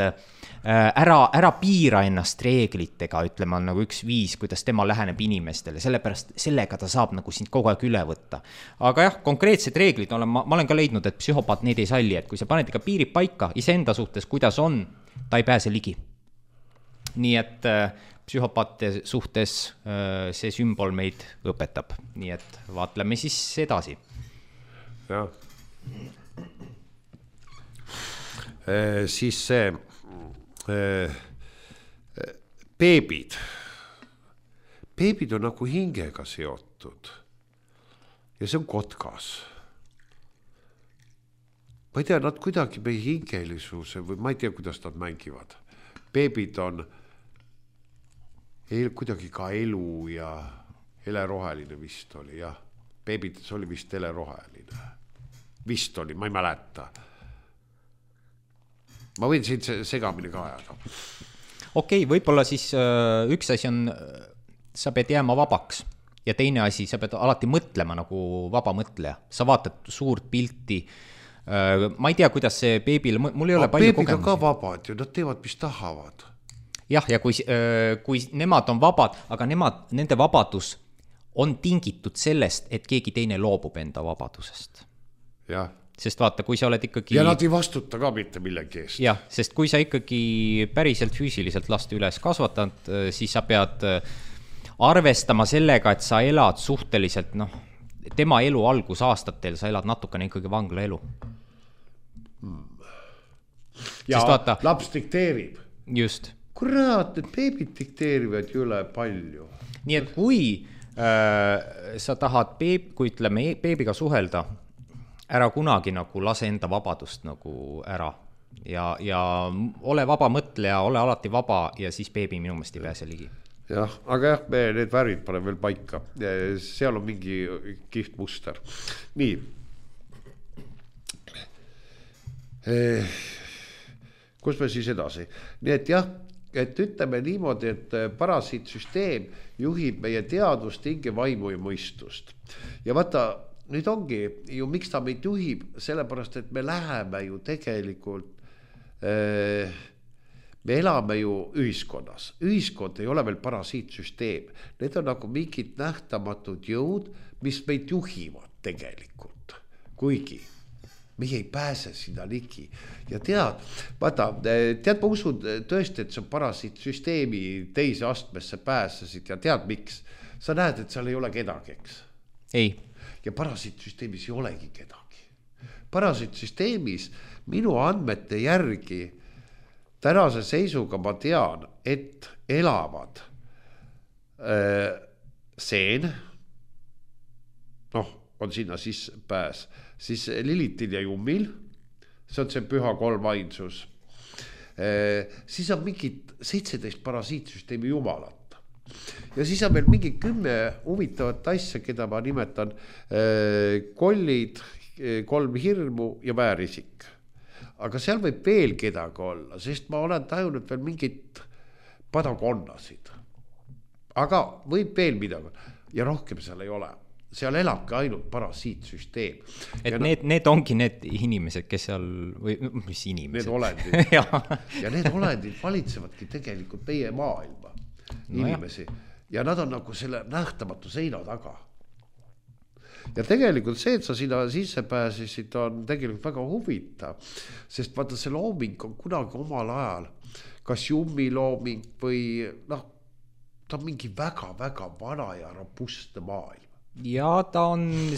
ära piira ennast reeglitega, ütleme, on nagu üks viis, kuidas tema läheneb inimestele, sellepärast sellega ta saab nagu sind kogu aeg üle võtta. Aga jah, konkreetsed reeglid, ma olen ka leidnud, et psühhopaat neid ei salli, et kui sa paned ikka piirid paika iseenda suhtes, kuidas on, ta ei pääse ligi. Nii et psühhopaate suhtes see sümbol meid õpetab, nii et vaatleme siis edasi. Jah. Siis see beebid on nagu hingega seotud ja see on kotkas. Ma ei tea, nad kuidagi meie hingelisuse või ma ei tea, kuidas nad mängivad. Beebid on kuidagi ka elu ja heleroheline vist oli, jah. Beebid oli vist heleroheline. Vist oli, ma ei mäleta. Ma võin siin segamini ka ajada. Okei, võib-olla siis üks asi on, sa pead jääma vabaks ja teine asi, sa pead alati mõtlema nagu vaba mõtleja. Sa vaatad suurt pilti. Ma ei tea, kuidas see beebil, mul ei ole palju kogemusi. Beebid on ka vabad ju, nad teevad, mis tahavad. Jah, ja kui nemad on vabad, aga nende vabadus on tingitud sellest, et keegi teine loobub enda vabadusest. Jah. Sest vaata, kui sa oled ikkagi... Ja nad ei vastuta ka mitte millegi eest. Jah, sest kui sa ikkagi päriselt füüsiliselt last üles kasvatad, siis sa pead arvestama sellega, et sa elad suhteliselt, tema elu algusaastatel sa elad natukene ikkagi vangla elu. Ja vaata, laps dikteerib. Just. Kurat, need beebid dikteerivad üle palju. Nii et kui sa tahad kui ütleme beebiga suhelda, ära kunagi nagu lase enda vabadust nagu ära ja ole vaba mõtleja, ole alati vaba ja siis beebi minu meelest ei pääse ligi. Jah, aga jah, me need värvid paneme veel paika. Seal on mingi kihvt muster. Nii. Kus me siis edasi? Nii et jah, et ütleme niimoodi, et parasiitsüsteem juhib meie teadvust, hinge, vaimu ja mõistust. Ja vaata, nüüd ongi ju, miks ta meid juhib, sellepärast, et me läheme ju tegelikult, me elame ju ühiskonnas, ühiskond ei ole veel parasiitsüsteem, need on nagu mingid nähtamatud jõud, mis meid juhivad tegelikult, kuigi meie ei pääse sinna ligi. Ja tead, ma usun tõesti, et see on parasiitsüsteemi teise astmesse pääsesid ja tead miks? Sa näed, et seal ei ole kedagi, eks? Ei. Ja parasiitsüsteemis ei olegi kedagi. Parasiitsüsteemis minu andmete järgi tänase seisuga ma tean, et elavad seen, on sinna sisse pääs, siis Lilitil ja Jummil, see on see püha kolmainsus, siis on mingid 17 parasiitsüsteemi jumalat. Ja siis on meil mingi 10 huvitavat asja, keda ma nimetan kollid, 3 hirmu ja väärisik. Aga seal võib veel kedagi olla, sest ma olen tajunud veel mingit padakonnasid. Aga võib veel midagi ja rohkem seal ei ole. Seal elabki ainult parasiitsüsteem. Et need ongi need inimesed, kes seal, või mis inimesed? Need olendid. Ja need olendid valitsevadki tegelikult meie maailma inimesi. Ja nad on nagu selle nähtamatu seina taga. Ja tegelikult see, et sa sinna sisse pääsisid, on tegelikult väga huvitav, sest vaata see looming on kunagi omal ajal, kas Jummi looming või ta on mingi väga-väga vana ja robustne maailm. Ja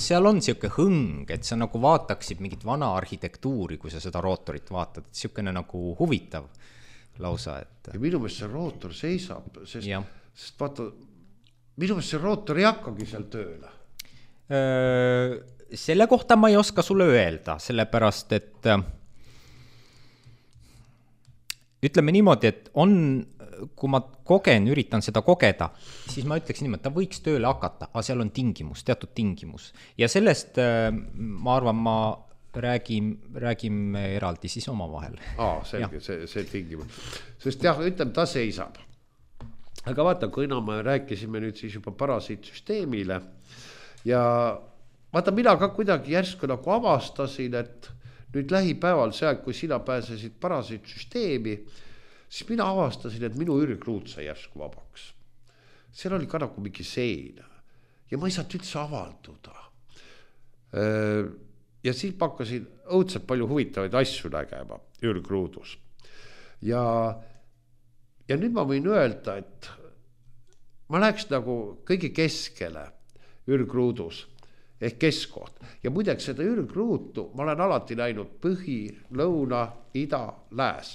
seal on siuke hõng, et sa nagu vaataksid mingit vana arhitektuuri, kui sa seda rootorit vaatad, et siukene nagu huvitav lausa. Ja minu meelest see rootor seisab, sest vaata, minu meelest see rootor ei hakkagi seal tööle. Selle kohta ma ei oska sulle öelda, sellepärast, et ütleme niimoodi, et kui ma üritan seda kogeda, siis ma ütleks niimoodi, et ta võiks tööle hakata, aga seal on teatud tingimus. Ja sellest, ma arvan, räägime eraldi siis oma vahel. Selge, see tingimus. Sest ütleme, ta seisab. Aga vaata, kui me rääkisime nüüd siis juba parasiitsüsteemile ja vaata, mina ka kuidagi järsku nagu avastasin, et nüüd lähipäeval see, kui sina pääsesid parasiitsüsteemi, siis mina avastasin, et minu ürgruud sai järsku vabaks. Seal oli ka nagu mingi sein ja ma ei saanud üldse avalduda. Ja siis ma hakkasin õudselt palju huvitavaid asju nägema ürgruudus. Ja nüüd ma võin öelda, et ma läheks nagu kõige keskele ürgruudus ehk keskkoht. Ja muideks seda ürgruutu ma olen alati näinud põhi, lõuna, ida, lääs.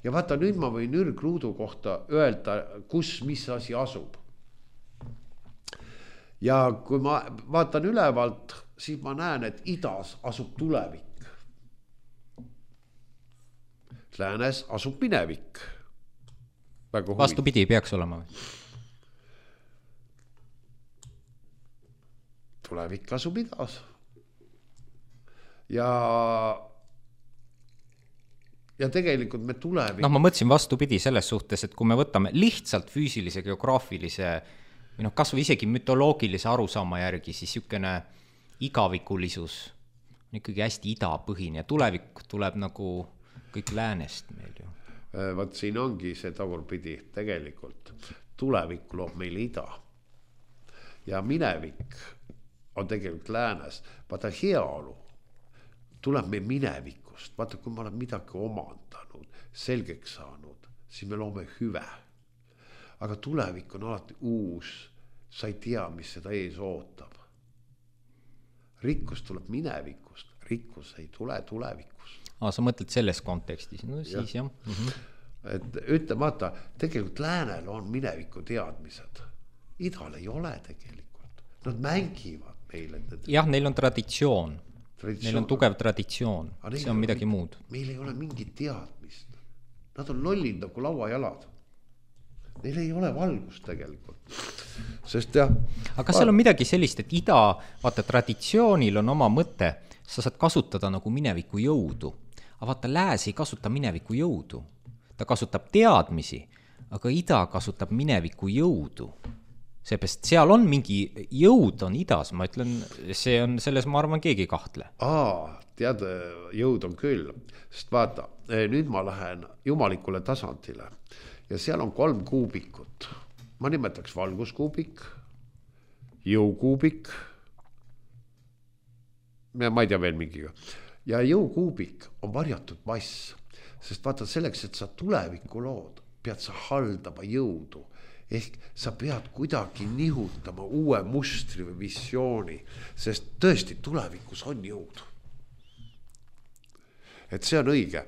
Ja vaata, nüüd ma võin ürgruudu kohta öelda, kus mis asi asub. Ja kui ma vaatan ülevalt, siis ma näen, et idas asub tulevik. Läänes asub minevik. Vastupidi peaks olema. Tulevik asub idas. Ja tegelikult me tulevik... ma mõtlesin vastupidi selles suhtes, et kui me võtame lihtsalt füüsilise, geograafilise või kas või isegi mütoloogilise arusaama järgi, siis siukene igavikulisus on ikkagi hästi idapõhine ja tulevik tuleb nagu kõik läänest meil ju. Vaat siin ongi see tagurpidi tegelikult. Tulevik loob meil ida ja minevik on tegelikult läänes. Vaata heaolu tuleb meil minevikust. Vaata, kui ma olen midagi omandanud, selgeks saanud, siis me loome hüve. Aga tulevik on alati uus. Sa ei tea, mis seda ees ootab. Rikkus tuleb minevikust. Rikkus ei tule tulevikust. Sa mõtled selles kontekstis? No siis jah. Et ütle, vaata, tegelikult läänel on mineviku teadmised. Idal ei ole tegelikult. Nad mängivad meile. Jah, neil on traditsioon. Neil on tugev traditsioon. See on midagi muud. Meil ei ole mingit teadmist. Nad on lollid nagu lauajalad. Neil ei ole valgust tegelikult. Sest jah. Aga seal on midagi sellist, et ida, vaata, traditsioonil on oma mõte. Sa saad kasutada nagu mineviku jõudu. Aga vaata, lääs ei kasuta mineviku jõudu. Ta kasutab teadmisi, aga ida kasutab mineviku jõudu. seepärast seal on mingi jõud on idas, ma ütlen, see on selles, ma arvan, keegi ei kahtle. Tead, jõud on küll, sest vaata, nüüd ma lähen jumalikule tasandile ja seal on 3 kuubikut. Ma nimetaks valguskuubik, jõukuubik ja ma ei tea veel mingiga. Ja jõukuubik on varjatud mass, sest vaata selleks, et sa tulevikku lood, pead sa haldama jõudu. Ehk sa pead kuidagi nihutama uue mustri või visiooni, sest tõesti tulevikus on jõud. Et see on õige,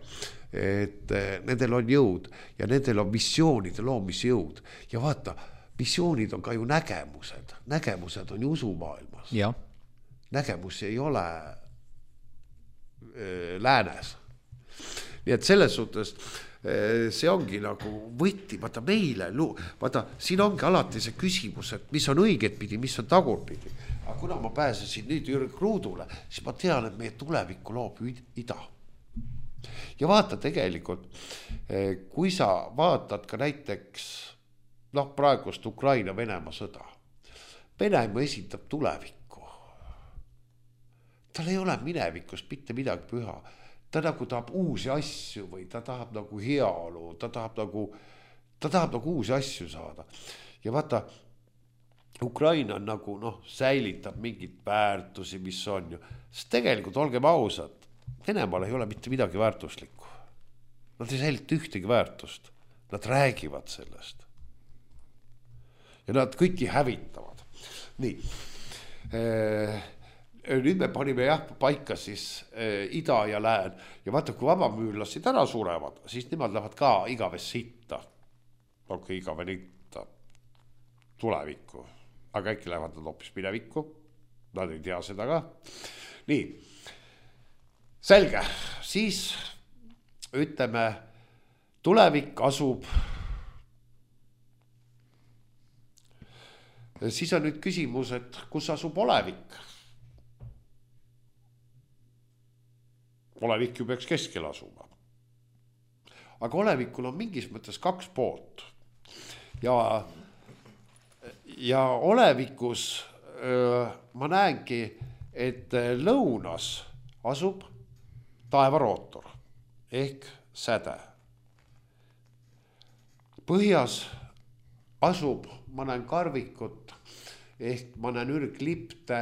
et nendel on jõud ja nendel on visioonide loomisjõud. Ja vaata, visioonid on ka ju nägemused. Nägemused on ju usumaailmas. Ja. Nägemusi ei ole läänes. Nii et selles suhtes see ongi nagu võtti, vaata meile, vaata siin ongi alati see küsimus, et mis on õiget pidi, mis on tagurpidi. Aga kuna ma pääsesin nüüd Jürg Ruudule, siis ma tean, et meie tulevikku loob ida. Ja vaata tegelikult, kui sa vaatad ka näiteks praegust Ukraina-Venemaa sõda. Venemaa esitab tulevikku. Tal ei ole minevikust mitte midagi püha. Ta nagu tahab uusi asju või ta tahab nagu heaolu, ta tahab nagu uusi asju saada. Ja vaata, Ukraina on nagu säilitab mingit väärtusi, mis on ju. Sest tegelikult olgem ausad, Venemaal ei ole mitte midagi väärtuslikku. Nad ei säilita ühtegi väärtust. Nad räägivad sellest. Ja nad kõiki hävitavad. Nii. Nüüd me panime paika siis ida ja lään. Ja vaata, kui vabamüürlased ära surevad, siis nemad lähevad ka igavesse sitta. Olge igavene itta tulevikku. Aga äkki lähevad nad hoopis minevikku. Nad ei tea seda ka. Nii. Selge. Siis ütleme, tulevik asub. Siis on nüüd küsimus, et kus asub olevik? Olevik ju peaks keskel asuma. Aga olevikul on mingis mõttes 2 poolt. Ja olevikus ma näengi, et lõunas asub taevarootor ehk säde. Põhjas asub, ma näen karvikut ehk ma näen ürglipte,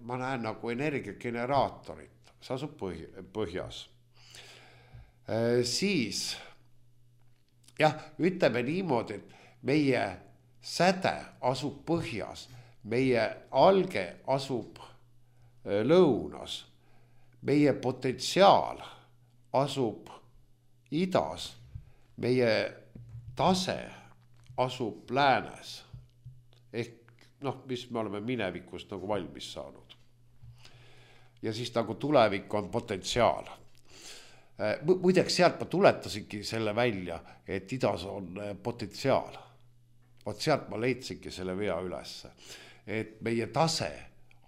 ma näen nagu energiageneraatorit. See asub põhjas. Siis, ütleme niimoodi, et meie säde asub põhjas, meie alge asub lõunas, meie potentsiaal asub idas, meie tase asub läänes. Ehk, mis me oleme minevikust nagu valmis saanud. Ja siis nagu tulevik on potentsiaal. Muideks sealt ma tuletasingi selle välja, et idas on potentsiaal. Vaat sealt ma leidsingi selle vea ülesse. Et meie tase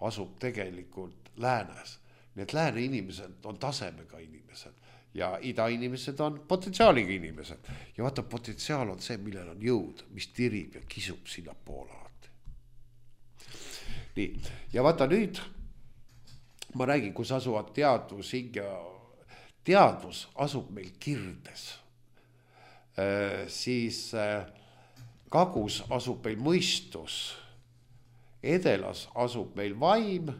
asub tegelikult läänes. Need lääne inimesed on tasemega inimesed ja ida inimesed on potentsiaaliga inimesed. Ja vaata, potentsiaal on see, millel on jõud, mis tirib ja kisub sinna poole alati. Nii, ja vaata nüüd ma räägin, kus asuvad teadvus, hing ja teadvus asub meil kirdes. Siis kagus asub meil mõistus, edelas asub meil vaim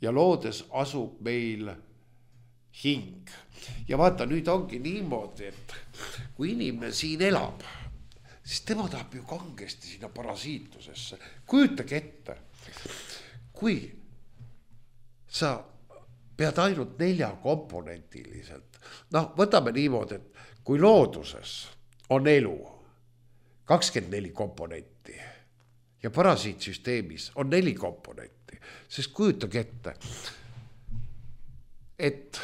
ja loodes asub meil hing. Ja vaata, nüüd ongi niimoodi, et kui inimene siin elab, siis tema tahab ju kangesti sinna parasiitusesse. Kujutage ette, kui sa pead ainult 4 komponentiliselt. Võtame niimoodi, et kui looduses on elu 24 komponenti ja parasiitsüsteemis on 4 komponenti, sest kujutage ette, et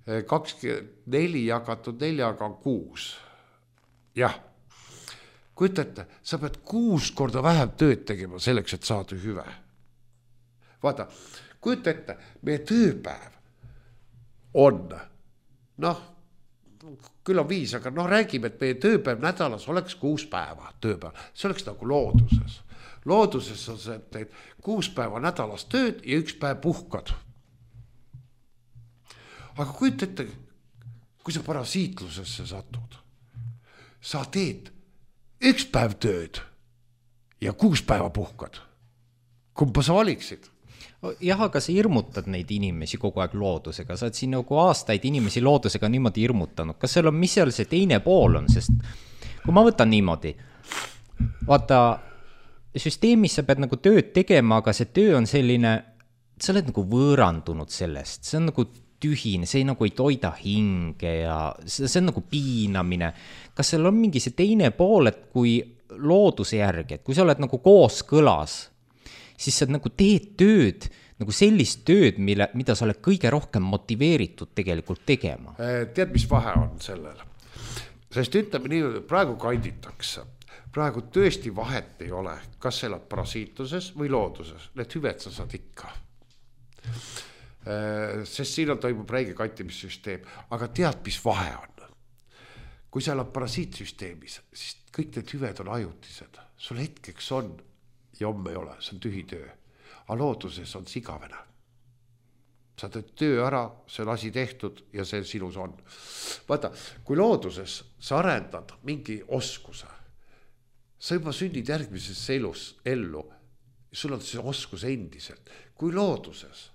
24 jagatud 4-ga on 6. Jah, kujutate, sa pead 6 korda vähem tööd tegema selleks, et saada hüve. Vaata, kujuta ette, meie tööpäev on, küll on 5, aga noh, räägime, et meie tööpäev nädalas oleks 6 päeva tööpäev. See oleks nagu looduses. Looduses on see, et teed 6 päeva nädalas tööd ja 1 päev puhkad. Aga kujuta ette, kui sa parasiitlusesse satud, sa teed 1 päev tööd ja 6 päeva puhkad. Kumba sa valiksid? Jah, aga sa hirmutad neid inimesi kogu aeg loodusega, sa oled siin nagu aastaid inimesi loodusega niimoodi hirmutanud. Kas seal on, mis seal see teine pool on, sest kui ma võtan niimoodi, vaata, süsteemis sa pead nagu tööd tegema, aga see töö on selline, sa oled nagu võõrandunud sellest, see on nagu tühine, see nagu ei toida hinge ja see on nagu piinamine. Kas seal on mingi see teine pool, et kui looduse järgi, et kui sa oled nagu kooskõlas, siis sa nagu teed tööd, nagu sellist tööd, mida sa oled kõige rohkem motiveeritud tegelikult tegema. Tead, mis vahe on sellel? Sest ütleme nii, praegu kanditakse. Praegu tõesti vahet ei ole, kas sa elad parasiituses või looduses. Need hüved sa saad ikka. Sest siin toimub räige kantimissüsteem. Aga tead, mis vahe on? Kui sa elad parasiitsüsteemis, siis kõik need hüved on ajutised. Sul hetkeks on ja homme ei ole, see on tühi töö. Aga looduses on sigavene. Sa teed töö ära, see on asi tehtud ja see sinus on. Vaata, kui looduses sa arendad mingi oskuse, sa juba sünnid järgmises ellu, sul on see oskus endiselt. Kui looduses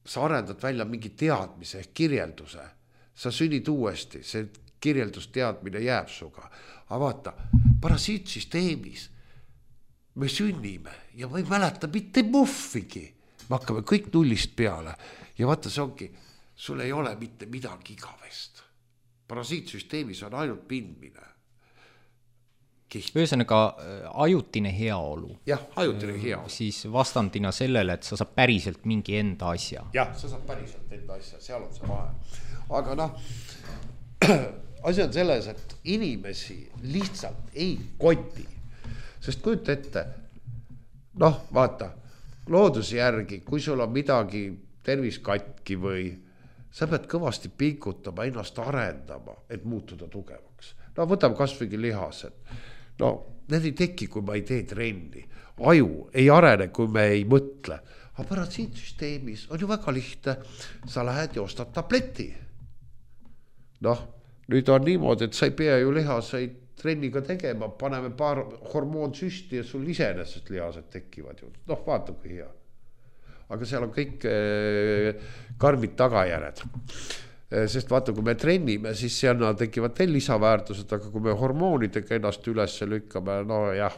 sa arendad välja mingi teadmise, kirjelduse, sa sünnid uuesti, see kirjeldusteadmine jääb suga. Aga vaata, parasiitsüsteemis me sünnime ja ma ei mäleta mitte muffigi. Me hakkame kõik nullist peale ja vaata, see ongi, sul ei ole mitte midagi igavest. Parasiitsüsteemis on ainult pindmine. Ühesõnaga ajutine heaolu. Jah, ajutine heaolu. Siis vastandina sellele, et sa saab päriselt mingi enda asja. Jah, sa saab päriselt enda asja, seal on see vahe. Aga noh, asi on selles, et inimesi lihtsalt ei koti. Sest kujuta ette, noh, vaata, looduse järgi, kui sul on midagi terviskatki või sa pead kõvasti pingutama, ennast arendama, et muutuda tugevaks. No võtame kasvõigi lihased. No, need ei teki, kui ma ei tee trenni. Aju ei arene, kui me ei mõtle. Aga parasiitsüsteemis on ju väga lihtne. Sa lähed ja ostad tableti. Noh, nüüd on niimoodi, et sa ei pea ju lihaseid trenniga tegema, paneme paar hormoonsüsti ja sul iseenesest lihased tekivad ju. Noh, vaata kui hea. Aga seal on kõik karmid tagajärjed. Sest vaata, kui me trennime, siis seal tekivad veel lisaväärtused, aga kui me hormoonidega ennast üles lükkame, no jah,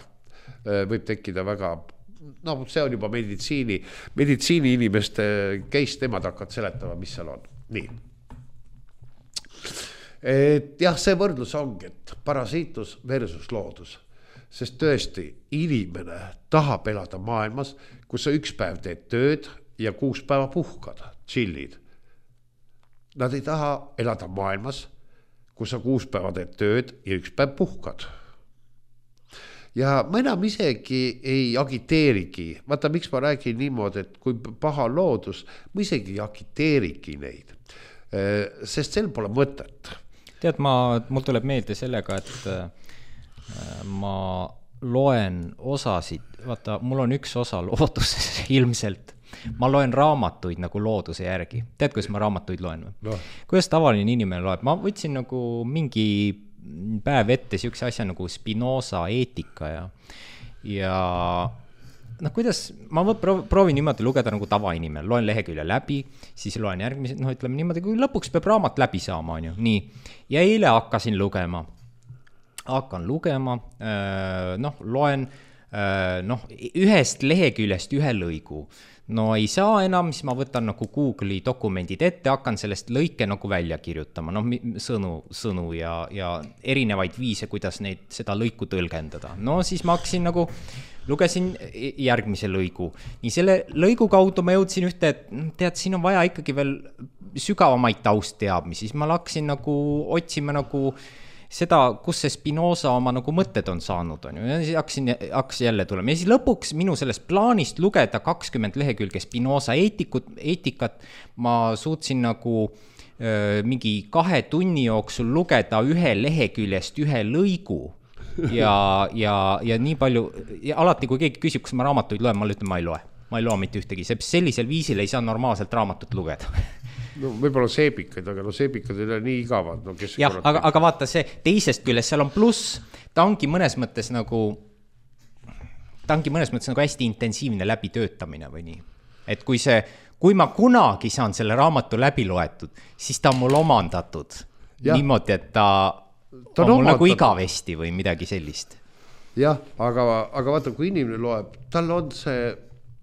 võib tekkida väga, no see on juba meditsiini inimeste case, nemad hakkavad seletama, mis seal on. Nii. Et jah, see võrdlus ongi, et parasiitus versus loodus. Sest tõesti, inimene tahab elada maailmas, kus sa 1 päev teed tööd ja 6 päeva puhkad, chillid. Nad ei taha elada maailmas, kus sa 6 päeva teed tööd ja 1 päev puhkad. Ja ma enam isegi ei agiteerigi. Vaata, miks ma räägin niimoodi, et kui paha loodus, ma isegi ei agiteerigi neid. Sest sel pole mõtet. Tead, mul tuleb meelde sellega, et ma loen osasid, vaata, mul on üks osa looduses ilmselt. Ma loen raamatuid nagu looduse järgi. Tead, kuidas ma raamatuid loen? No. Kuidas tavaline inimene loeb? Ma võtsin nagu mingi päev ette siukse asja nagu Spinoza eetika ja noh, kuidas, ma proovin niimoodi lugeda nagu tavainimene, loen lehekülje läbi, siis loen järgmised, noh, ütleme niimoodi, kui lõpuks peab raamat läbi saama, on ju, nii. Ja eile hakkan lugema, noh, loen, noh, ühest leheküljest ühe lõigu. No ei saa enam, siis ma võtan nagu Google'i dokumendid ette, hakkan sellest lõike nagu välja kirjutama, noh, sõnu ja erinevaid viise, kuidas seda lõiku tõlgendada. No siis ma hakkasin nagu, lugesin järgmise lõigu. Nii selle lõigu kaudu ma jõudsin ühte, et tead, siin on vaja ikkagi veel sügavamaid taustteadmisi. Siis ma hakkasin nagu otsima nagu seda, kus see Spinoza oma nagu mõtted on saanud, on ju. Ja siis hakkas jälle tulema. Ja siis lõpuks minu sellest plaanist lugeda 20 lehekülge Spinoza eetikat, ma suutsin nagu mingi 2 tunni jooksul lugeda 1 leheküljest 1 lõigu ja nii palju, ja alati kui keegi küsib, kas ma raamatuid loen, ma ütlen, ma ei loe mitte ühtegi, sellisel viisil ei saa normaalselt raamatut lugeda. No võib-olla seebikaid, aga seebikad ei ole nii igavad. No, jah, aga vaata see teisest küljest, seal on pluss, ta ongi mõnes mõttes nagu hästi intensiivne läbitöötamine või nii. Et kui ma kunagi saan selle raamatu läbi loetud, siis ta on mul omandatud niimoodi, et ta on mul nagu igavesti või midagi sellist. Jah, aga vaata, kui inimene loeb, tal on see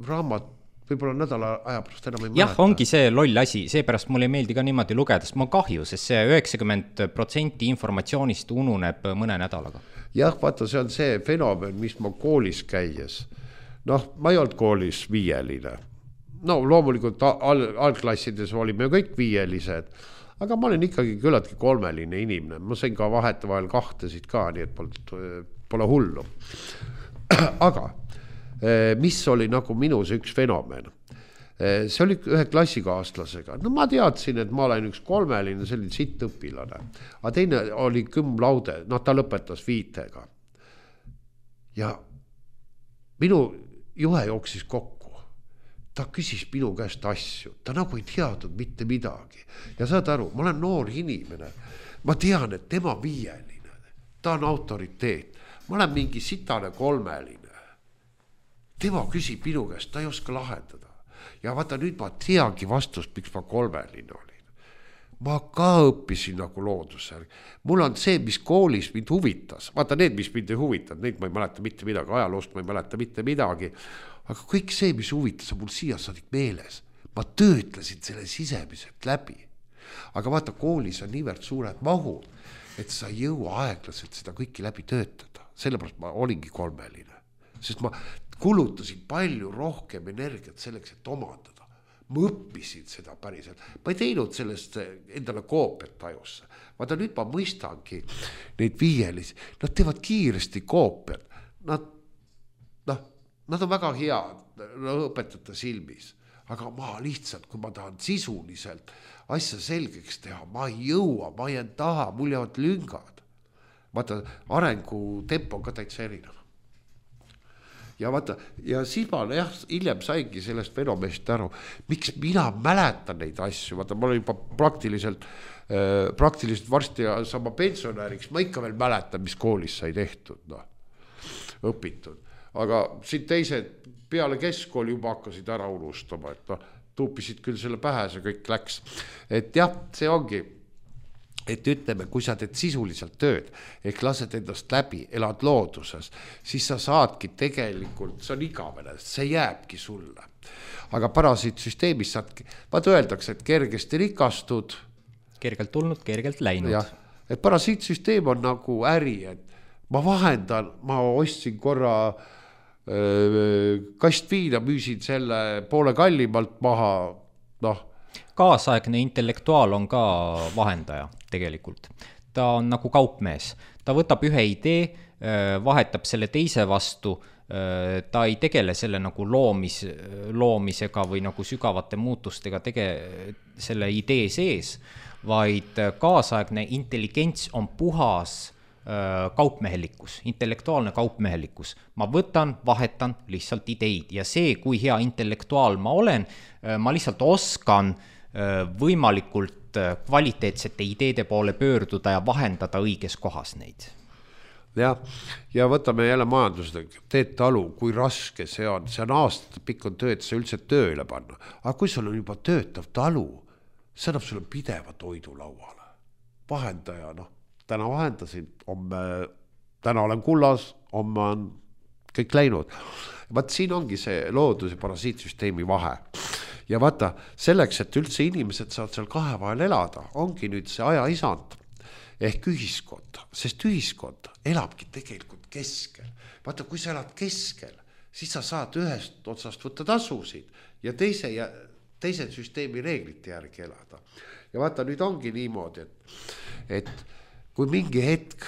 raamat võib-olla nädala aja pärast enam ei mäleta. Jah, ongi see loll asi, seepärast mulle ei meeldi ka niimoodi lugeda, sest mul on kahju, sest see 90% informatsioonist ununeb mõne nädalaga. Jah, vaata, see on see fenomen, mis ma koolis käies. Noh, ma ei olnud koolis 5-line. No loomulikult algklassides olime kõik 5-lised, aga ma olen ikkagi küllaltki 3-line inimene. Ma sain ka vahetevahel 2 ka, nii et pole hullu. Aga mis oli nagu minus üks fenomen. See oli ühe klassikaaslasega. No ma teadsin, et ma olen üks 3-line, selline sitt õpilane. Aga teine oli cum laude, ta lõpetas 5-ga. Ja minu juhe jooksis kokku. Ta küsis minu käest asju. Ta nagu ei teadnud mitte midagi. Ja saad aru, ma olen noor inimene. Ma tean, et tema 5-line. Ta on autoriteet. Ma olen mingi sitane 3-line. Tema küsib minu käest, ta ei oska lahendada. Ja vaata, nüüd ma teagi vastust, miks ma 3-line olin. Ma ka õppisin nagu loodusel. Mul on see, mis koolis mind huvitas. Vaata, need, mis mind ei huvitanud, neid ma ei mäleta mitte midagi. Ajaloost ma ei mäleta mitte midagi. Aga kõik see, mis huvitas, on mul siia saadik meeles. Ma töötlesin selle sisemiselt läbi. Aga vaata, koolis on niivõrd suured mahud, et sa ei jõua aeglaselt seda kõiki läbi töötada. Sellepärast ma olingi 3-line. Sest ma kulutasin palju rohkem energiat selleks, et omandada. Ma õppisin seda päriselt. Ma ei teinud sellest endale koopiat ajusse. Vaata, nüüd ma mõistangi neid 5-lisi. Nad teevad kiiresti koopiat. Nad on väga head õpetajate silmis. Aga ma lihtsalt, kui ma tahan sisuliselt asja selgeks teha, ma ei jõua, ma jään taha, mul jäävad lüngad. Vaata, arengutempo on ka täitsa erinev. Ja vaata, ja siis ma hiljem saingi sellest fenomenist aru, miks mina mäletan neid asju. Vaata, ma olen juba praktiliselt varsti sama pensionäriks, ma ikka veel mäletan, mis koolis sai tehtud, õpitud. Aga siin teised peale keskkooli juba hakkasid ära unustama, et tuupisid küll selle pähe, see kõik läks. Et jah, see ongi, et ütleme, kui sa teed sisuliselt tööd, ehk lased endast läbi, elad looduses, siis sa saadki tegelikult, see on igavene, see jääbki sulle. Aga parasiitsüsteemis saadki, vaat öeldakse, et kergesti rikastud. Kergelt tulnud, kergelt läinud. Jah, et parasiitsüsteem on nagu äri, et ma vahendan, ma ostsin korra kastviina, müüsin selle poole kallimalt maha, Kaasaegne intellektuaal on ka vahendaja tegelikult. Ta on nagu kaupmees. Ta võtab ühe idee, vahetab selle teise vastu, ta ei tegele selle nagu loomisega või nagu sügavate muutustega selle idee sees, vaid kaasaegne intelligents on puhas kaupmehelikkus, intellektuaalne kaupmehelikkus. Ma võtan, vahetan lihtsalt ideid ja see, kui hea intellektuaal ma olen, ma lihtsalt oskan võimalikult kvaliteetsete ideede poole pöörduda ja vahendada õiges kohas neid. Ja võtame jälle majandusega, teed talu, kui raske see on aastate pikk on töö, et see üldse tööle panna. Aga kui sul on juba töötav talu, see annab sulle pideva toidu lauale. Vahendaja, täna vahendasin, täna olen kullas, homme on kõik läinud. Vaat siin ongi see loodus- ja parasiitsüsteemi vahe. Ja vaata, selleks, et üldse inimesed saavad seal 2 vahel elada, ongi nüüd see aja isand ehk ühiskond, sest ühiskond elabki tegelikult keskel. Vaata, kui sa elad keskel, siis sa saad ühest otsast võtta tasusid ja teise süsteemi reeglite järgi elada. Ja vaata, nüüd ongi niimoodi, et kui mingi hetk,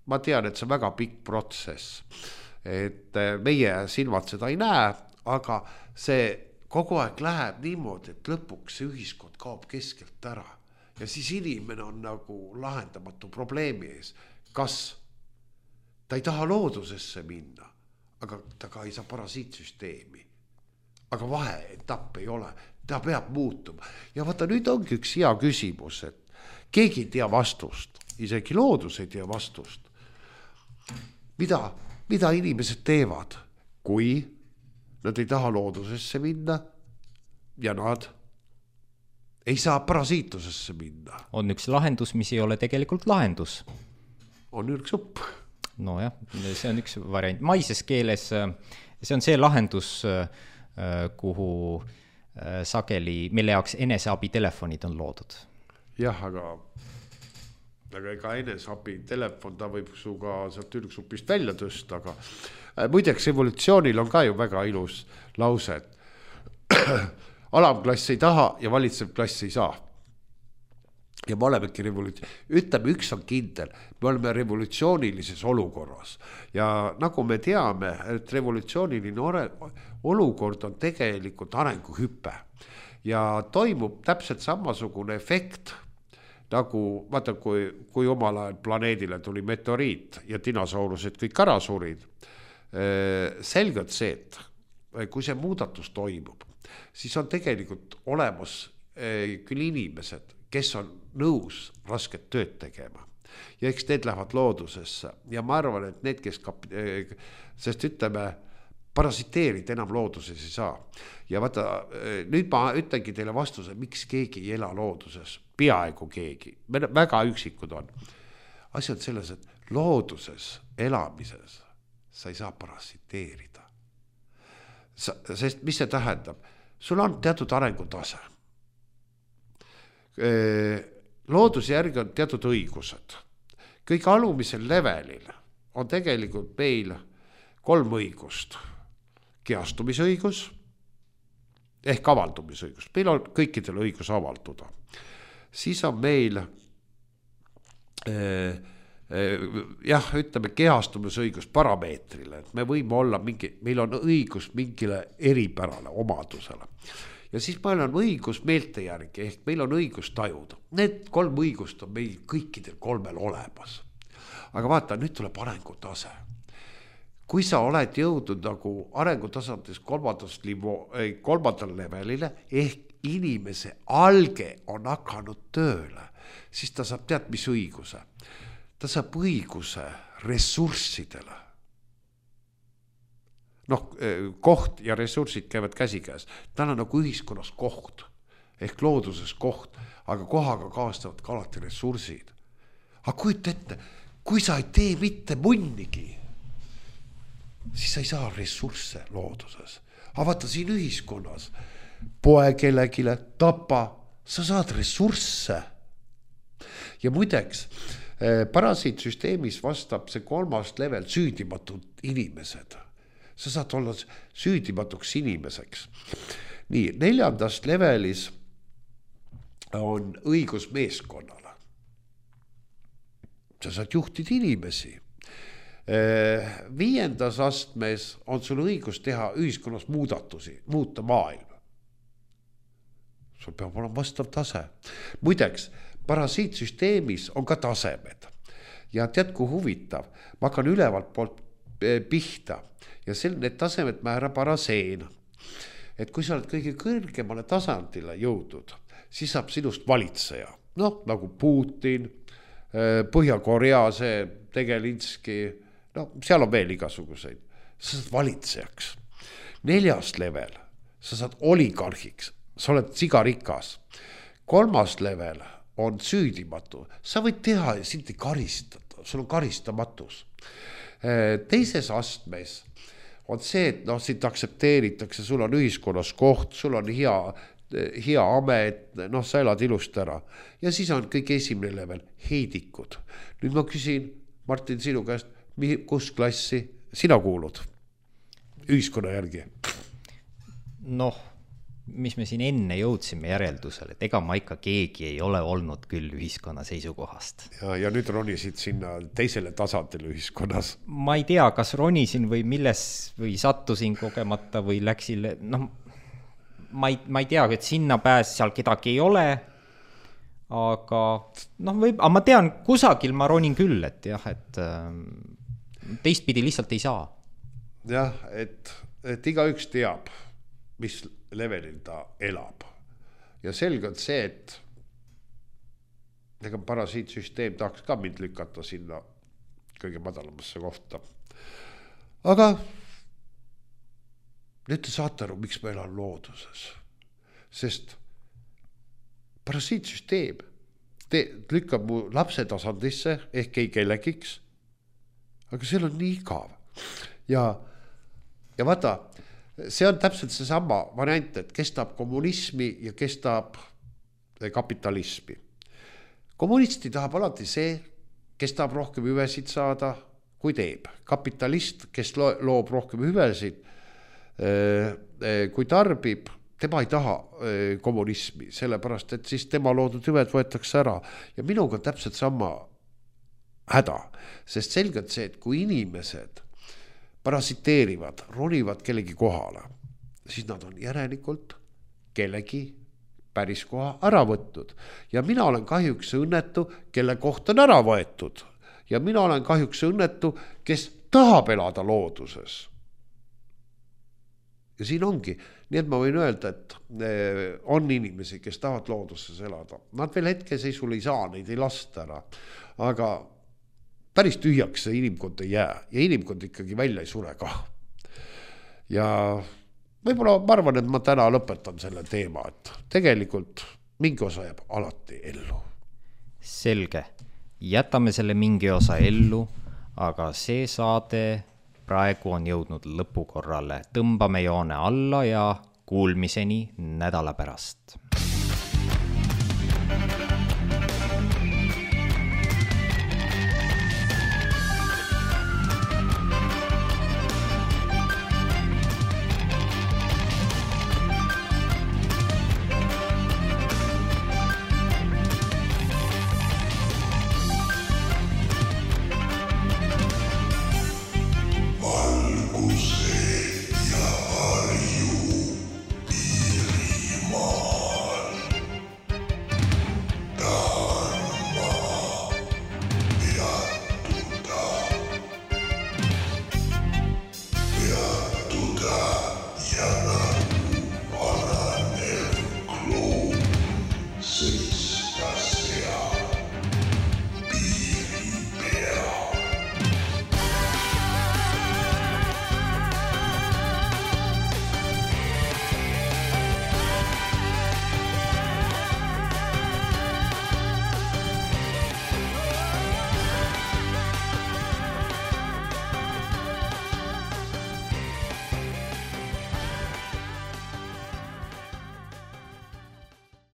ma tean, et see on väga pikk protsess, et meie silmad seda ei näe, aga see kogu aeg läheb niimoodi, et lõpuks see ühiskond kaob keskelt ära ja siis inimene on nagu lahendamatu probleemi ees. Kas ta ei taha loodusesse minna, aga ta ka ei saa parasiitsüsteemi. Aga vaheetapp ei ole, ta peab muutuma. Ja vaata, nüüd ongi üks hea küsimus, et keegi ei tea vastust, isegi loodus ei tea vastust. Mida inimesed teevad, kui nad ei taha loodusesse minna ja nad ei saa parasiitusesse minna? On üks lahendus, mis ei ole tegelikult lahendus. On ürgsupp. No jah, see on üks variant. Maises keeles see on see lahendus, kuhu sageli, mille jaoks eneseabitelefonid on loodud. Jah, aga ega eneseabi telefon, ta võib suga sealt ürgsupist välja tõsta, aga muideks evolutsioonil on ka ju väga ilus lause, et alamklass ei taha ja valitsev klass ei saa. Ja me olemegi ütleme, üks on kindel, me oleme revolutsioonilises olukorras ja nagu me teame, et revolutsiooniline olukord on tegelikult arenguhüpe ja toimub täpselt samasugune efekt nagu vaata, kui omal ajal planeedile tuli meteoriit ja dinosaurused kõik ära surid. Selgelt see, et kui see muudatus toimub, siis on tegelikult olemas küll inimesed, kes on nõus rasket tööd tegema. Ja eks need lähevad loodusesse. Ja ma arvan, et need, kes sest ütleme, parasiteerida enam looduses ei saa. Ja vaata, nüüd ma ütlengi teile vastuse, miks keegi ei ela looduses. Peaaegu keegi. Väga üksikud on. Asi on selles, et looduses elamises sa ei saa parasiteerida. Sest mis see tähendab? Sul on teatud arengutase. Looduse järgi on teatud õigused. Kõik alumisel levelil on tegelikult meil 3 õigust. Kehastumisõigus ehk avaldumisõigus. Meil on kõikidel õigus avalduda. Siis on meil ütleme kehastumisõigus parameetrile. Et me võime olla meil on õigus mingile eripärale omadusele. Ja siis meil on õigus meelte järgi, ehk meil on õigus tajuda. Need 3 õigust on meil kõikidel 3 olemas. Aga vaata, nüüd tuleb arengutase. Kui sa oled jõudnud nagu arengutasandis 3. levelile, ehk inimese alge on hakanud tööle, siis ta saab tead mis õiguse. Ta saab õiguse ressurssidele. Koht ja ressursid käivad käsikäes. Tal on nagu ühiskonnas koht, ehk looduses koht, aga kohaga kaastavad ka alati ressursid. Aga kujuta ette, kui sa ei tee mitte munnigi, siis sa ei saa ressursse looduses. Aga vaata siin ühiskonnas, poe kellegile, tapa, sa saad ressursse. Ja muideks, parasiitsüsteemis vastab see 3. level süüdimatud inimesed. Sa saad olla süüdimatuks inimeseks. Nii, 4. levelis on õigus meeskonnale. Sa saad juhtida inimesi. 5. astmes on sul õigus teha ühiskonnas muudatusi, muuta maailma. Sul peab olema vastav tase. Muideks, parasiitsüsteemis on ka tasemed. Ja tead, kui huvitav, ma hakkan ülevalt poolt pihta ja need tasemed määrab paraseen. Et kui sa oled kõige kõrgemale tasandile jõudnud, siis saab sinust valitseja. Nagu Putin, Põhja-Korea, see Tegelinski, seal on veel igasuguseid. Sa saad valitsejaks. 4. level, sa saad oligarhiks, sa oled sigarikas. 3. level on süüdimatu. Sa võid teha ja sind ei karistada, sul on karistamatus. 2. astmes on see, et sind aktsepteeritakse, sul on ühiskonnas koht, sul on hea amet, sa elad ilust ära. Ja siis on kõik 1. level, heidikud. Nüüd ma küsin, Martin, sinu käest, kus klassi sina kuulud ühiskonna järgi? Mis me siin enne jõudsime järeldusele, et ega ma ikka keegi ei ole olnud küll ühiskonna seisukohast. Ja nüüd ronisid sinna teisele tasandile ühiskonnas. Ma ei tea, kas ronisin või milles või sattusin kogemata või läksin, ma ei tea, et sinna pääs seal kedagi ei ole, aga aga ma tean, kusagil ma ronin küll, et jah, et teistpidi lihtsalt ei saa. Jah, et igaüks teab, mis levelil ta elab. Ja selge on see, et ega parasiitsüsteem tahaks ka mind lükata sinna kõige madalamasse kohta. Aga nüüd te saate aru, miks ma elan looduses. Sest parasiitsüsteem lükkab mu lapse tasandisse ehk ei kellegiks, aga seal on nii igav. Ja vaata, see on täpselt see sama variant, et kes tahab kommunismi ja kes tahab kapitalismi. Kommunisti tahab alati see, kes tahab rohkem hüvesid saada, kui teeb. Kapitalist, kes loob rohkem hüvesid, kui tarbib, tema ei taha kommunismi, sellepärast, et siis tema loodud hüved võetakse ära. Ja minuga on täpselt sama häda, sest selgelt see, et kui inimesed parasiteerivad, ronivad kellegi kohale, siis nad on järelikult kellegi päris koha ära võtnud. Ja mina olen kahjuks õnnetu, kelle koht on ära võetud. Ja mina olen kahjuks õnnetu, kes tahab elada looduses. Ja siin ongi, nii et ma võin öelda, et on inimesi, kes tahavad looduses elada. Nad veel hetkeseisul ei saa, neid ei lasta ära. Aga päris tühjaks see inimkond ei jää ja inimkond ikkagi välja ei sure ka. Ja võib-olla ma arvan, et ma täna lõpetan selle teema, et tegelikult mingi osa jääb alati ellu. Selge. Jätame selle mingi osa ellu, aga see saade praegu on jõudnud lõpukorrale. Tõmbame joone alla ja kuulmiseni nädala pärast.